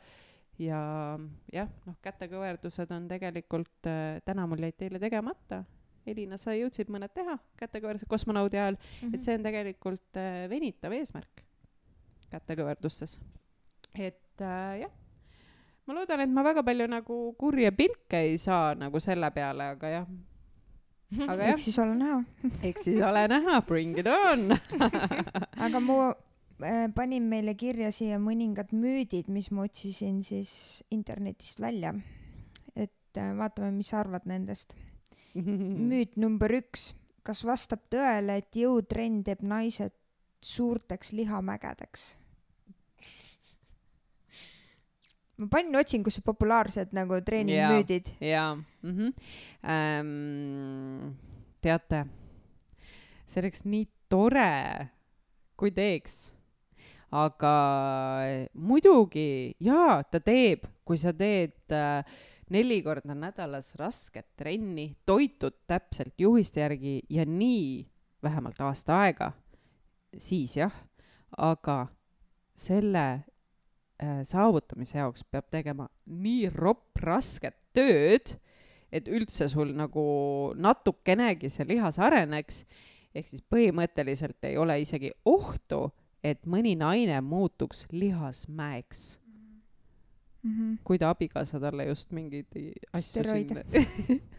Ja jah, noh, kätekõverdused on tegelikult, äh, täna mul jäid teile tegemata. Elina, sa jõudsid mõned teha kätekõverdused kosmonaudi ajal, mm -hmm. et see on tegelikult äh, venitav eesmärk kätekõverdustes. Et äh, jah, ma loodan, et ma väga palju nagu kurje pilke ei saa nagu selle peale, aga jah. Aga jah. Eks siis ole näha. Eks siis ole näha, bring it on. Aga mu panin meile kirja siia mõningad müüdid, mis ma otsisin siis internetist välja. Et vaatame, mis sa arvad nendest. Müüt number üks. Kas vastab tõele, et jõutrenn teeb naised suurteks lihamägedeks? Ma panin otsingusse populaarsed nagu treeningmüüdid. Jaa, mm-hmm. ähm, teate, see oleks nii tore, kui teeks. Aga muidugi, jaa, ta teeb, kui sa teed äh, neli korda nädalas rasket trenni, toitud täpselt juhiste järgi ja nii vähemalt aasta aega, siis jah, aga selle äh, saavutamise jaoks peab tegema nii ropp rasket tööd, et üldse sul nagu natukenegi see lihas areneks, ehk siis põhimõtteliselt ei ole isegi ohtu, et mõni naine muutuks lihasmäeks. Mm-hmm. Kui ta abikaasa talle just mingeid asju sinna,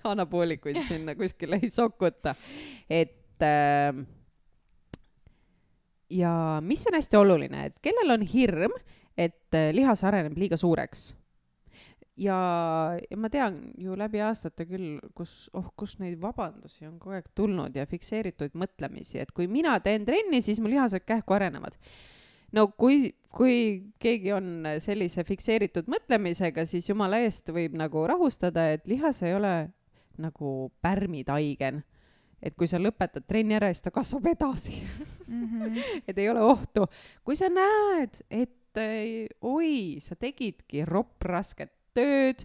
anaboolikuid sinna kuskile ei sokuta. Et äh, ja mis on hästi oluline, et kellel on hirm, et lihas areneb liiga suureks. Ja, ja ma tean ju läbi aastate küll, kus, oh, kus neid vabandusi on kogu aeg tulnud ja fikseeritud mõtlemisi, et kui mina teen trenni, siis mu lihased kähku arenevad. No kui, kui keegi on sellise fikseeritud mõtlemisega, siis jumala eest võib nagu rahustada, et lihas ei ole nagu pärmitaigen. Et kui sa lõpetad trenni ära, siis ta kasvab edasi. Mm-hmm. Et ei ole ohtu. Kui sa näed, et oi, sa tegidki ropp rasket tööd,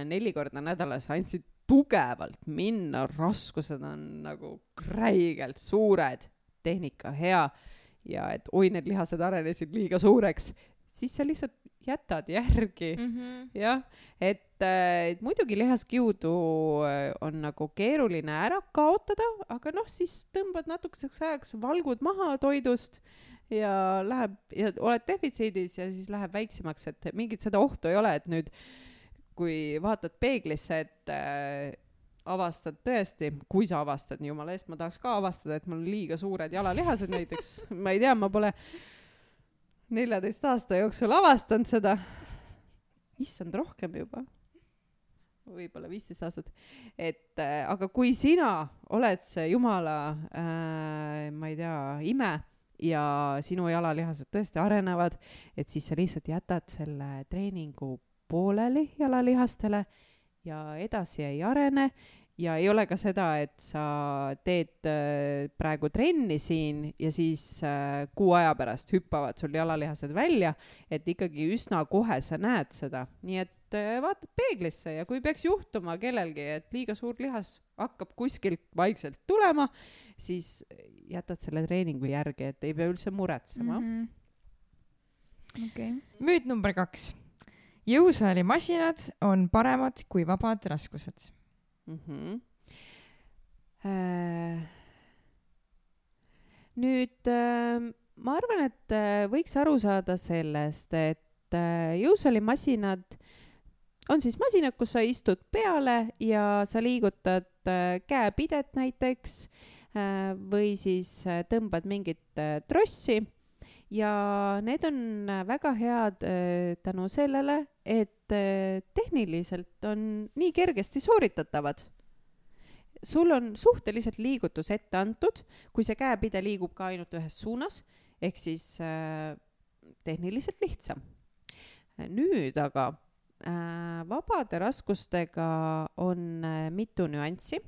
neli korda nädalas andsid tugevalt minna, raskused on nagu räigelt suured, tehnika hea ja et oi, need lihased arenesid liiga suureks, siis sa lihtsalt jätad järgi. Mm-hmm. Jah, et, et muidugi lihaskiudu on nagu keeruline ära kaotada, aga noh, siis tõmbad natukeseks ajaks valgud maha toidust ja läheb ja oled defitsiidis ja siis läheb väiksemaks, et mingit seda ohtu ei ole, et nüüd kui vaatad peeglisse, et äh, avastad tõesti, kui sa avastad, nii jumala eest, ma tahaks ka avastada, et mul on liiga suured jalalihased näiteks, ma ei tea, ma pole neljateist aasta jooksul avastanud seda, issand rohkem juba, võib-olla viisteist aastat, et äh, aga kui sina oled see jumala äh, ma ei tea, ime ja sinu jalalihased tõesti arenevad, et siis sa lihtsalt jätad selle treeningu pooleli jalalihastele ja edasi ei arene ja ei ole ka seda, et sa teed äh, praegu trenni siin ja siis äh, kuu aja pärast hüppavad sul jalalihased välja, et ikkagi üsna kohe sa näed seda. Nii et äh, vaatad peeglisse ja kui peaks juhtuma kellelgi, et liiga suur lihas hakkab kuskilt vaikselt tulema, siis jätad selle treeningu järgi, et ei pea üldse muretsema. Mm-hmm. Okay. Müüt number kaks. Jõusaalimasinad on paremad kui vabad raskused. Mm-hmm. Äh, nüüd äh, ma arvan, et võiks aru saada sellest, et jõusaalimasinad on siis masinad, kus sa istud peale ja sa liigutad käepidet näiteks või siis tõmbad mingit trossi ja need on väga head tänu sellele, et tehniliselt on nii kergesti sooritatavad. Sul on suhteliselt liigutus ette antud, kui see käepide liigub ka ainult ühes suunas, ehk siis äh, tehniliselt lihtsam. Nüüd aga äh, vabade raskustega on äh, mitu nüanssi.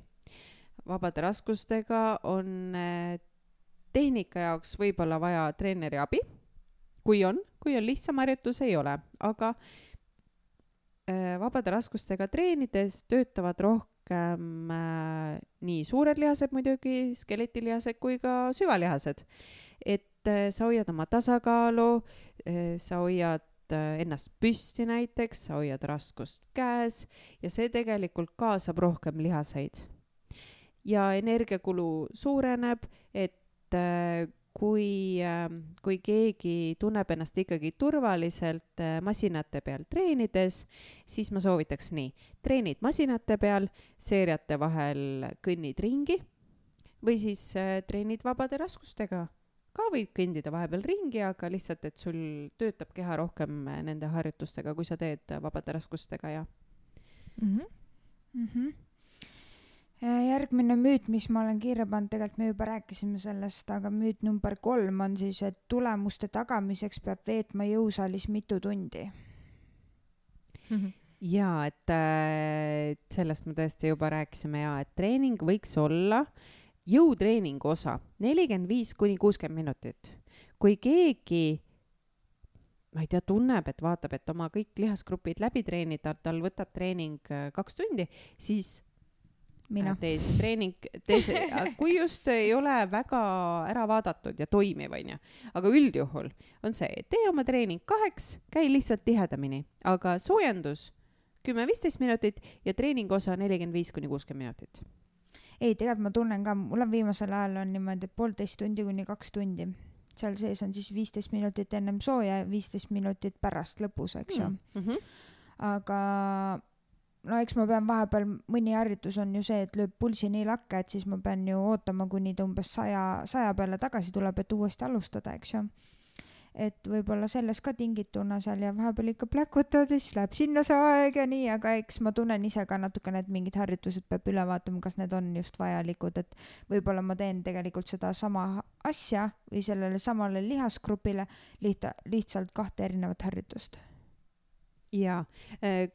Vabade raskustega on äh, tehnika jaoks võib-olla vaja treeneri abi, kui on, kui on lihtsam harjutus, ei ole, aga äh, vabade raskustega treenides töötavad rohkem Äh, nii suured lihased muidugi, skeletilihased kui ka süvalihased. Et äh, sa hoiad oma tasakaalu, äh, sa hoiad äh, ennast püsti näiteks, sa hoiad raskust käes ja see tegelikult kaasab rohkem lihaseid. Ja energiakulu suureneb, et äh, kui, äh, kui keegi tunneb ennast ikkagi turvaliselt äh, masinate peal treenides, siis ma soovitaks nii. Treenid masinate peal, seeriate vahel kõnnid ringi või siis äh, treenid vabade raskustega. Ka võid kõndida vahepeal ringi, aga lihtsalt, et sul töötab keha rohkem nende harjutustega, kui sa teed vabade raskustega. Ja. Mm-hmm. Mm-hmm. Järgmine müüt, mis ma olen kirja pannud, tegelikult me juba rääkisime sellest, aga müüt number kolm on siis, et tulemuste tagamiseks peab veetma jõusaalis mitu tundi. Mm-hmm. Ja, et äh, sellest me tõesti juba rääkisime ja, et treening võiks olla jõutreeningu osa nelikümmend viis kuni kuuskümmend minutit. Kui keegi, ma ei tea, tunneb, et vaatab, et oma kõik lihasgrupid läbi treenida, tal võtab treening kaks tundi, siis mina. Tee see treening, tee see, kui just ei ole väga ära vaadatud ja toimiv, on ju. Aga üldjuhul on see, tee oma treening kaheks, käi lihtsalt tihedamini, aga soojendus kümme viisteist minutit ja treeningu osa nelikümmend viis kuni kuuskümmend minutit. Ei, tegelikult ma tunnen ka, mul on viimasel ajal on niimoodi poolteist tundi kuni kaks tundi. Seal sees on siis viisteist minutit ennem sooja ja viisteist minutit pärast lõpus, eks ju. Mm-hmm. Aga no eks ma pean vahepeal, mõni harjutus on ju see, et lööb pulsi nii lakke, et siis ma pean ju ootama, kuni ta umbes saja, saja peale tagasi tuleb, et uuesti alustada, eks ju. Et võib-olla selles ka tingituna seal ja vahepeal ikka pläkutavad, siis läheb sinna see aeg ja nii, aga eks ma tunnen ise ka natukene, et mingid harjutused peab üle vaatama, kas need on just vajalikud, et võib-olla ma teen tegelikult seda sama asja või sellele samale lihasgrupile liht- lihtsalt kahte erinevat harjutust. Ja,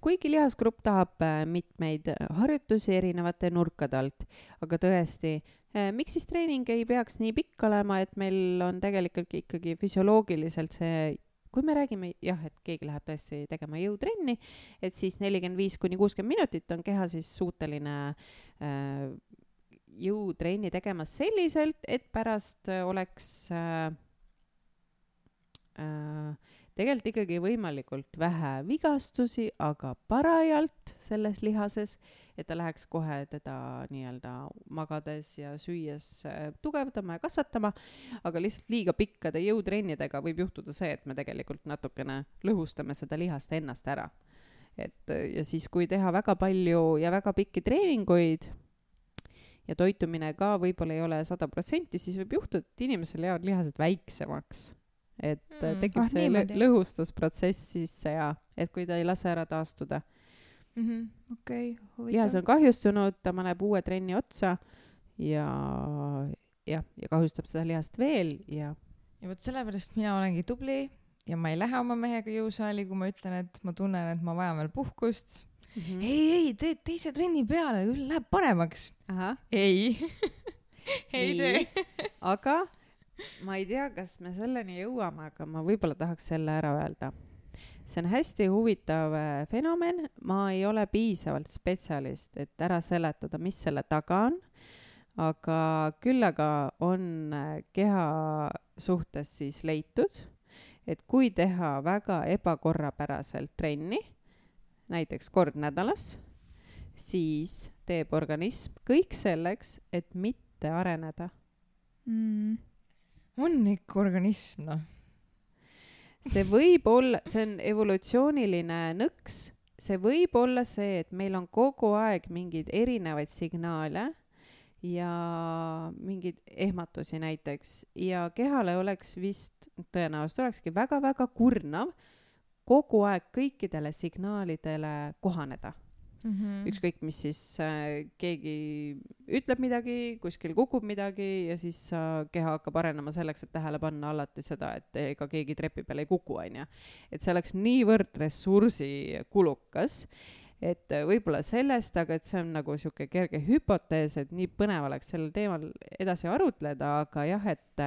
kuigi lihasgrupp tahab mitmeid harjutusi erinevate nurkade alt, aga tõesti, miks siis treening ei peaks nii pikk olema, et meil on tegelikult ikkagi füsioloogiliselt see, kui me räägime, jah, et keegi läheb tõesti tegema jõutrenni, et siis nelikümmend viis kuni kuuskümmend minutit on keha siis suuteline äh, jõutrenni tegemas selliselt, et pärast oleks äh, äh, tegelikult ikkagi võimalikult vähe vigastusi, aga parajalt selles lihases, et ta läheks kohe teda nii-öelda magades ja süües tugevdama ja kasvatama, aga lihtsalt liiga pikkade jõutrennidega võib juhtuda see, et me tegelikult natukene lõhustame seda lihast ennast ära. Et, ja siis, kui teha väga palju ja väga pikki treeninguid ja toitumine ka võib-olla ei ole sada protsenti, siis võib juhtuda, et inimesel jäävad lihased väiksemaks. Et mm. tekib ah, see lõ- lõhustusprotsess sisse ja et kui ta ei lase ära taastuda. Mm-hmm. Okay, lihas on kahjustunud, ta paneb uue trenni otsa ja, ja, ja kahjustab seda lihast veel. Ja, ja võt sellepärast mina olengi tubli ja ma ei lähe oma mehega jõusaali, kui ma ütlen, et ma tunnen, et ma vajan veel puhkust. Mm-hmm. Ei, ei, teed teise trenni peale, läheb paremaks. Aha. Ei, ei tee. Aga ma ei tea, kas me selleni jõuame, aga ma võib-olla tahaks selle ära öelda. See on hästi huvitav fenomen. Ma ei ole piisavalt spetsialist, et ära seletada, mis selle taga on. Aga küll aga on keha suhtes siis leitud, et kui teha väga ebakorrapäraselt trenni, näiteks kord nädalas, siis teeb organism kõik selleks, et mitte areneda. Mm. on ikka organism, noh. See võib olla, see on evolutsiooniline nõks, see võib olla see, et meil on kogu aeg mingeid erinevaid signaale ja mingeid ehmatusi näiteks ja kehale oleks vist, tõenäoliselt olekski väga-väga kurnav kogu aeg kõikidele signaalidele kohaneda. Mm-hmm. Ükskõik, mis siis äh, keegi ütleb midagi, kuskil kukub midagi ja siis äh, keha hakkab arenema selleks, et tähele panna alati seda, et ega keegi trepi peale ei kuku, on ju. Et see oleks niivõrd ressursi kulukas, et võib-olla sellest, aga et see on nagu siuke kerge hüpotees, et nii põnev oleks sellel teemal edasi arutleda, aga jah, et,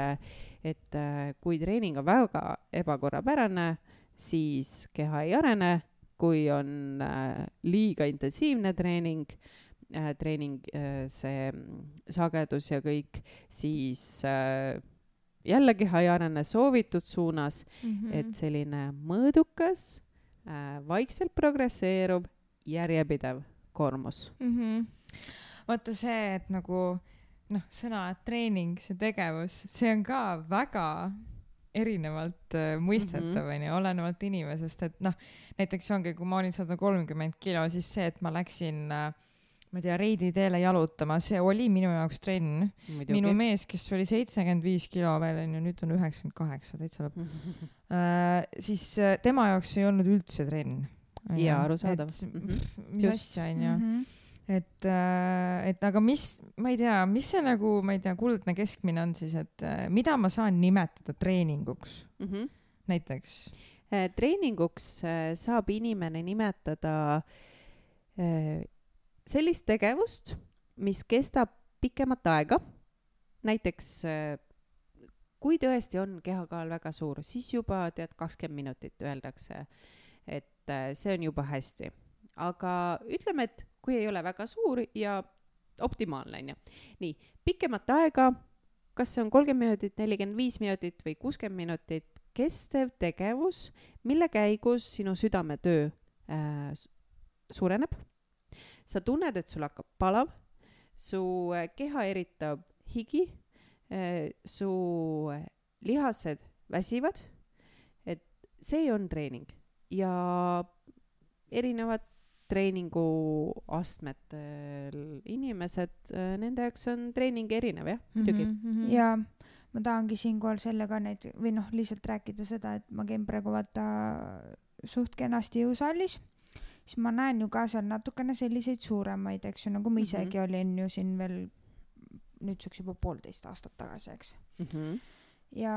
et kui treening on väga ebakorrapärane, siis keha ei arene. Kui on äh, liiga intensiivne treening, äh, treening äh, see sagedus ja kõik, siis äh, jälle keha ei arene soovitud suunas, mm-hmm. et selline mõõdukas, äh, vaikselt progresseerub, järjepidev koormus. Mm-hmm. Vaata see, et nagu noh, sõna treening, see tegevus, see on ka väga erinevalt äh, mõistetav, mm-hmm. on ju, olenevalt inimesest, et noh, näiteks ongi, kui ma olin sada kolmkümmend kilo, siis see, et ma läksin, äh, ma ei tea, Reidi teele jalutama, see oli minu jaoks trenn. Muidugi. Minu mees, kes oli seitsekümmend viis kilo veel, on ju, nüüd on üheksakümmend kaheksa, täitsa lõpp. Mm-hmm. äh, siis äh, tema jaoks ei olnud üldse trenn. Ja, arusaadav. Et, mm-hmm. mis Just. asja, on ju. Mm-hmm. Et, et aga mis, ma ei tea, mis see nagu, ma ei tea, kuldne keskmine on siis, et mida ma saan nimetada treeninguks mm-hmm. näiteks? Treeninguks saab inimene nimetada sellist tegevust, mis kestab pikemat aega. Näiteks, kui tõesti on kehakaal väga suur, siis juba tead kakskümmend minutit öeldakse, et see on juba hästi. Aga ütleme, et kui ei ole väga suur ja optimaalne, on ju. Nii, pikemat aega, kas see on kolmkümmend minutit, nelikümmend viis minutit või kuuskümmend minutit, kestev tegevus, mille käigus sinu südametöö äh, suureneb. Sa tunned, et sul hakkab palav, su keha eritab higi, äh, su lihased väsivad, et see on treening ja erinevad treeningu astmetel inimesed, nende jaoks on treening erinev, jah, muidugi. Mm-hmm. Ja ma tahangi siinkohal sellega neid, või noh, lihtsalt rääkida seda, et ma käin praegu vaata suht kenasti jõusaalis, siis ma näen ju ka seal natukene selliseid suuremaid, eks ju, nagu ma isegi mm-hmm. olin ju siin veel nüüdseks juba poolteist aastat tagasi, eks. Mm-hmm. Ja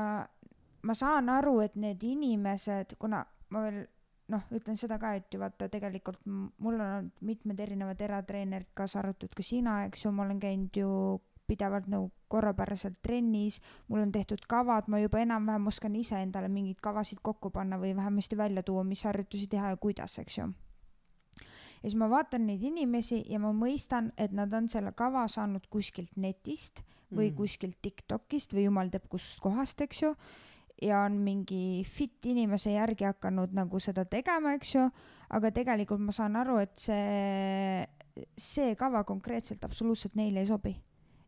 ma saan aru, et need inimesed, kuna ma veel noh, ütlen seda ka, et ju vaata tegelikult mul on mitmed erinevad eratreenerid, kaasa arvatud ka sina, eks ju, ma olen käinud ju pidevalt nagu korrapäraselt trennis, mul on tehtud kavad, ma juba enam-vähem oskan ise endale mingeid kavasid kokku panna või vähemasti välja tuua, mis harjutusi teha ja kuidas, eks ju. Ja siis ma vaatan neid inimesi ja ma mõistan, et nad on selle kava saanud kuskilt netist või mm. kuskilt TikTokist või jumal teab kust kohast, eks ju. Ja on mingi fit inimese järgi hakanud nagu seda tegema, eks ju, aga tegelikult ma saan aru, et see, see kava konkreetselt absoluutselt neile ei sobi.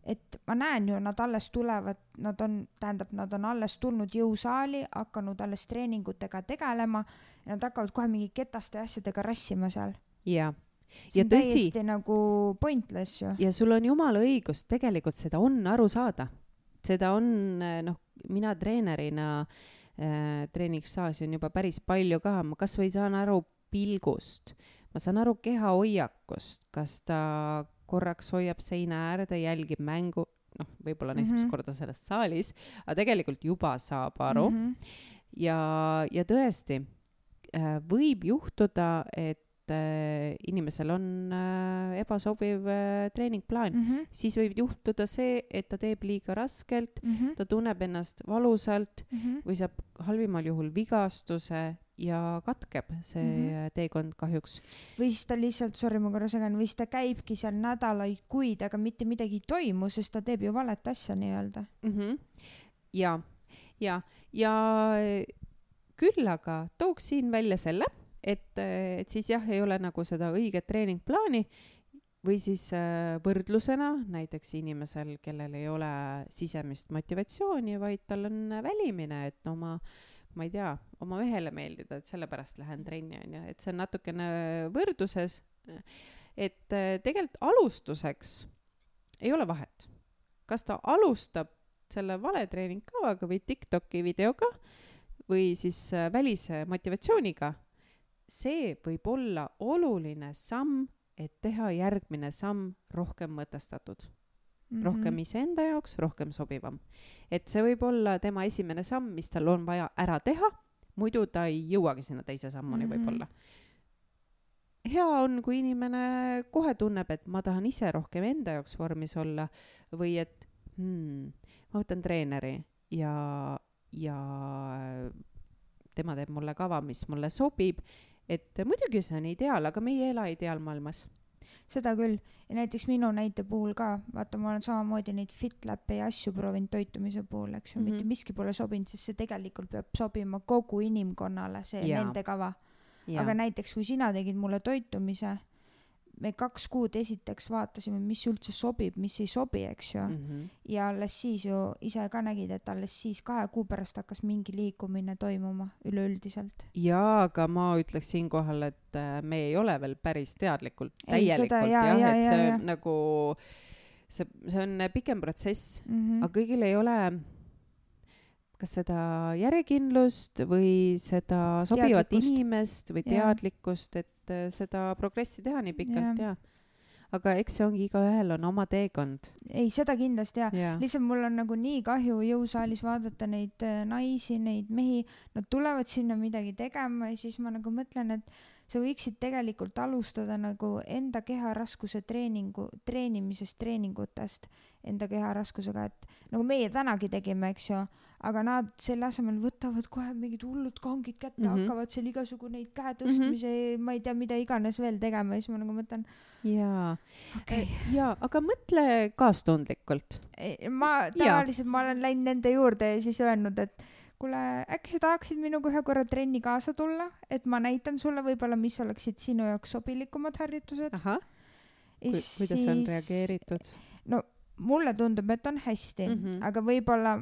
Et ma näen ju, nad alles tulevad, nad on, tähendab, nad on alles tulnud jõusaali, hakanud alles treeningutega tegelema ja nad hakkavad kohe mingi ketaste asjadega rassima seal. Ja. See ja on tõsi, täiesti nagu pointless ju. Ja sul on jumala õigus, tegelikult seda on aru saada. Seda on, noh, mina treenerina äh, treeningsaasi on juba päris palju ka, ma kas või saan aru pilgust, ma saan aru keha hoiakust, kas ta korraks hoiab seina äärde, jälgib mängu, noh, võib-olla mm-hmm. esimest korda selles saalis, aga tegelikult juba saab aru mm-hmm. ja, ja tõesti äh, võib juhtuda, et inimesel on äh, ebasobiv äh, treeningplaan, mm-hmm. siis võib juhtuda see, et ta teeb liiga raskelt, mm-hmm. ta tunneb ennast valusalt mm-hmm. või saab halvimal juhul vigastuse ja katkeb see mm-hmm. teekond kahjuks. Või siis ta lihtsalt, sorry ma korra segan, või siis ta käibki seal nädalaid, kuid, aga mitte midagi ei toimu, sest ta teeb ju valet asja nii-öelda. Mm-hmm. Ja, ja, ja küll aga tooks siin välja selle, Et, et siis jah, ei ole nagu seda õiget treeningplaani või siis äh, võrdlusena näiteks inimesel, kellel ei ole sisemist motivatsiooni, vaid tal on välimine, et oma, ma ei tea, oma mehele meeldida, et sellepärast lähen trenni, on ju, et see on natukene võrdluses, et äh, tegelikult alustuseks ei ole vahet. Kas ta alustab selle valetreeningkavaga või TikToki videoga või siis äh, välise motivatsiooniga, see võib olla oluline samm, et teha järgmine samm rohkem mõtestatud. Mm-hmm. Rohkem iseenda jaoks, rohkem sobivam. Et see võib olla tema esimene samm, mis tal on vaja ära teha, muidu ta ei jõuagi sinna teise sammuni mm-hmm. võib-olla. Hea on, kui inimene kohe tunneb, et ma tahan ise rohkem enda jaoks vormis olla või et hmm, ma võtan treeneri ja, ja tema teeb mulle kava, mis mulle sobib, et muidugi see on ideaal, aga me ei ela ideaalmaailmas. Seda küll. Ja näiteks minu näite puhul ka, vaata, ma olen samamoodi neid FitLab'e ja asju proovinud toitumise puhul, eks ju, mm-hmm. mitte miski pole sobinud, sest see tegelikult peab sobima kogu inimkonnale, see ja. Nende kava. Ja. Aga näiteks, kui sina tegid mulle toitumise, me kaks kuud esiteks vaatasime, mis üldse sobib, mis ei sobi, eks ju. Mm-hmm. Ja alles siis ju ise ka nägid, et alles siis kahe kuu pärast hakkas mingi liikumine toimuma üleüldiselt. Jaa, aga ma ütleks siin kohal, et me ei ole veel päris teadlikult, täielikult, ei, seda, jah, ja, ja, et see ja, ja. nagu, see, see on pikem protsess, mm-hmm. aga kõigil ei ole kas seda järjekindlust või seda sobivat teadlikkust. Inimest või teadlikkust, ja. Et seda progressi teha nii pikalt, ja. Ja. Aga eks see ongi, igaühel on oma teekond. Ei, seda kindlasti, ja. Ja. Lihtsalt mul on nagu nii kahju jõusaalis vaadata neid naisi, neid mehi, nad tulevad sinna midagi tegema ja siis ma nagu mõtlen, et sa võiksid tegelikult alustada nagu enda keharaskuse treeningu, treenimisest, treeningutest enda keharaskusega, et nagu meie tänagi tegime, eks ju, aga nad selle asemel võtavad kohe mingid hullud kangid kätte, mm-hmm. hakkavad seal igasugu neid käe tõstmise, mm-hmm. ma ei tea, mida iganes veel tegema ja siis ma nagu mõtlen. Jaa, okay. ja, aga mõtle kaastundlikult. Ma tavaliselt, ma olen läinud nende juurde ja siis öelnud, et kuule, äkki sa tahaksid minuga ühe korra trenni kaasa tulla, et ma näitan sulle võib-olla, mis oleksid sinu jaoks sobilikumad harjutused. Aha, Ku, siis, kuidas on reageeritud? No mulle tundub, et on hästi, mm-hmm. aga võib-olla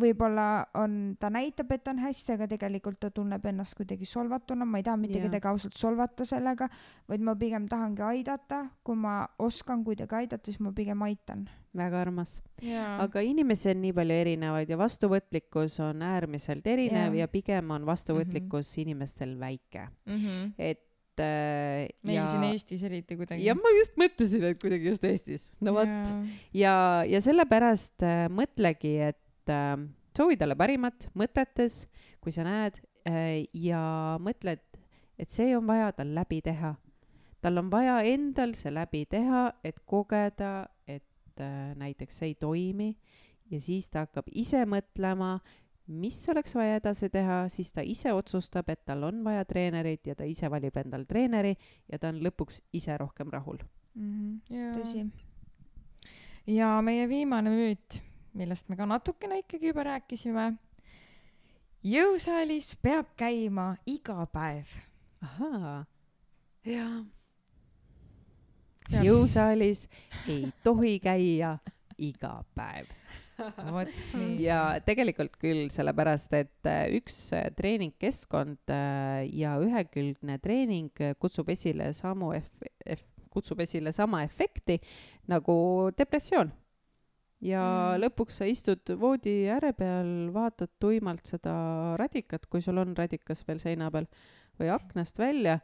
võib-olla on, ta näitab, et on hästi, aga tegelikult ta tunneb ennast kuidagi solvatuna, ma ei taha mitte kedagi ausalt solvata sellega, vaid ma pigem tahangi aidata, kui ma oskan kuidagi aidata, siis ma pigem aitan. Väga armas. Ja. Aga inimesi on nii palju erinevaid ja vastuvõtlikkus on äärmiselt erinev ja, ja pigem on vastuvõtlikkus mm-hmm. inimestel väike. Mm-hmm. Et meil ja, siin Eestis eriti kuidagi. Ja ma just mõtlesin, et kuidagi just Eestis. No võt. Ja, ja, ja sellepärast äh, mõtlegi, et äh, soovi talle parimat mõtetes, kui sa näed äh, ja mõtled, et see on vaja tal läbi teha. Tal on vaja endal see läbi teha, et kogeda, et äh, näiteks see ei toimi ja siis ta hakkab ise mõtlema, mis oleks vaja edasi teha, siis ta ise otsustab, et tal on vaja treenerit ja ta ise valib endal treeneri ja ta on lõpuks ise rohkem rahul. Mm-hmm. Ja. Tõsi. Ja meie viimane müüt, millest me ka natukene ikkagi juba rääkisime. Jõusaalis peab käima iga päev. Ahaa, jaa. Jõusaalis ei tohi käia iga päev. Ja tegelikult küll, sellepärast, et üks treeningkeskkond ja ühekülgne treening kutsub esile, samu eff- eff- kutsub esile sama efekti nagu depressioon. Ja mm. lõpuks sa istud voodi ääre peal, vaatad tuimalt seda radikat, kui sul on radikas veel seina peal, või aknast välja,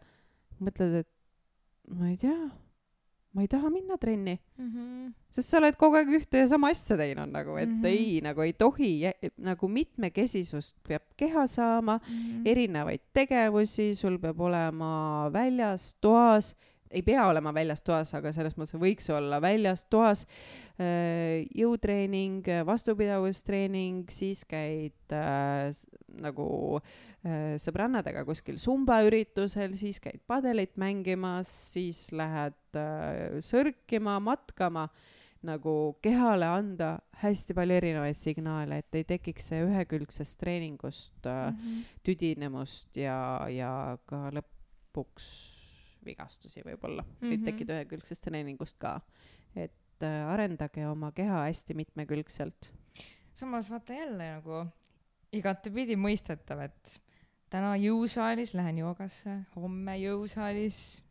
mõtled, et ma ei tea, ma ei taha minna trenni. Mm-hmm. Sest sa oled kogu aeg ühte ja sama asja teinud, nagu, et mm-hmm. ei, nagu ei tohi, nagu mitmekesisust peab keha saama, mm-hmm. erinevaid tegevusi, sul peab olema väljas, toas, ei pea olema väljas toas, aga selles mõttes võiks olla väljas toas, jõutreening, vastupidavustreening, siis käid äh, nagu äh, sõbrannadega kuskil sumba üritusel, siis käid padelit mängimas, siis lähed äh, sörkima, matkama, nagu kehale anda hästi palju erinevaid signaale, et ei tekiks see ühekülgsest treeningust äh, mm-hmm. tüdinemust ja, ja ka lõpuks vigastusi võib-olla mm, Mhm. võib tekkida ühekülgsest treeningust ka. Et äh, arendage oma keha hästi mitmekülgselt. samas vaata jälle nagu igatepidi mõistetav, et täna jõusaalis lähen joogasse, homme jõusaalis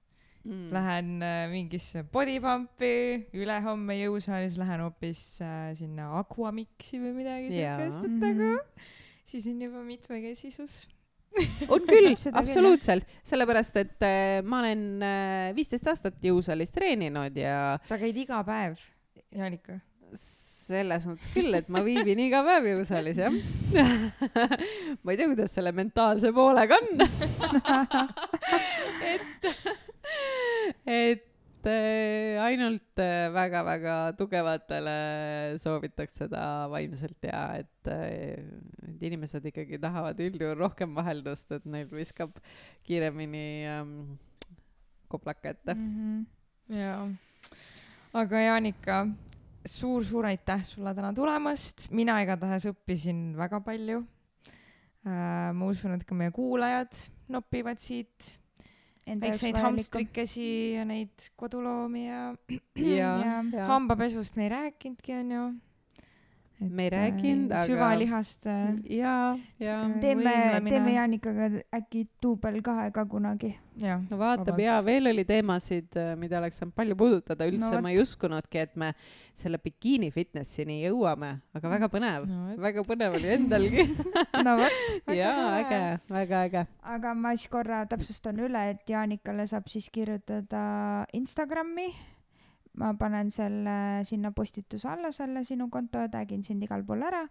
mm. lähen äh, mingisse bodypumpi, ülehomme jõusaalis lähen hoopis äh, sinna Aquamixi või midagi sellist, et nagu siis on juba mitmekesisus. On küll, absoluutselt, sellepärast, et äh, ma olen äh, viisteist aastat jõusaalis treeninud ja sa käid iga päev, Jaanika? Selles mõttes küll, et ma viibin iga päev jõusaalis, jah. Ma ei tea, kuidas selle mentaalse poolega on. et, et äh, ainult äh, väga-väga tugevatele soovitaks seda vaimselt ja et, äh, et inimesed ikkagi tahavad üldjuhul rohkem vaheldust, et neil viskab kiiremini ähm, koplaka ette. Mm-hmm. Jaa. Aga Jaanika, suur-suur aitäh sulle täna tulemast. Mina igatahes õppisin väga palju. Äh, ma usun, et ka meie kuulajad nopivad siit väikseid hamstrikesi ja neid koduloomi ja, ja, ja, ja hambapesust me ei rääkinudki, on ju. Et me ei rääkinud, aga süvalihast ja, ja teeme, teeme Jaanikaga äkki duubel kahe ka kunagi. Ja, no vaatab ja veel oli teemasid, mida oleks saanud palju puudutada. Üldse no, ma ei uskunudki, et me selle bikiini fitnessini jõuame, aga väga põnev, no, väga põnev oli endalgi. no võt. Jaa, äge, väga äge. Aga ma siis korra täpsustan üle, et Jaanikale saab siis kirjutada Instagrami. Ma panen selle sinna postituse alla, selle sinu konto ja tagin sind igal pool ära.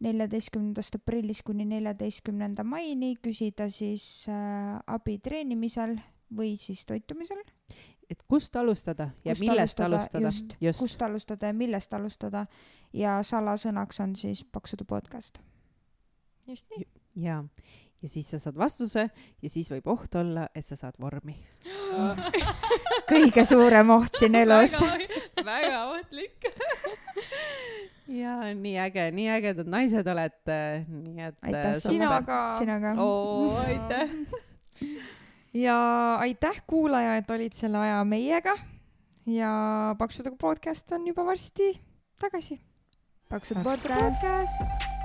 neljateistkümnendast aprillist kuni neljateistkümnenda maini küsida siis äh, abi treenimisel või siis toitumisel. Et kust alustada ja kust millest alustada. Just, just. Kust alustada ja millest alustada. Ja salasõnaks on siis Paksude podcast. Just nii. Ja. Ja siis sa saad vastuse ja siis võib oht olla, et sa saad vormi. Kõige suurem oht siin elus. Väga, väga ohtlik. ja nii äge, nii ägedad naised olete. Nii et aitäh sinaga. sinaga. Oo, aitäh. ja aitäh kuulaja, et olid selle aja meiega. Ja Paksude podcast on juba varsti tagasi. Paksude podcast. podcast.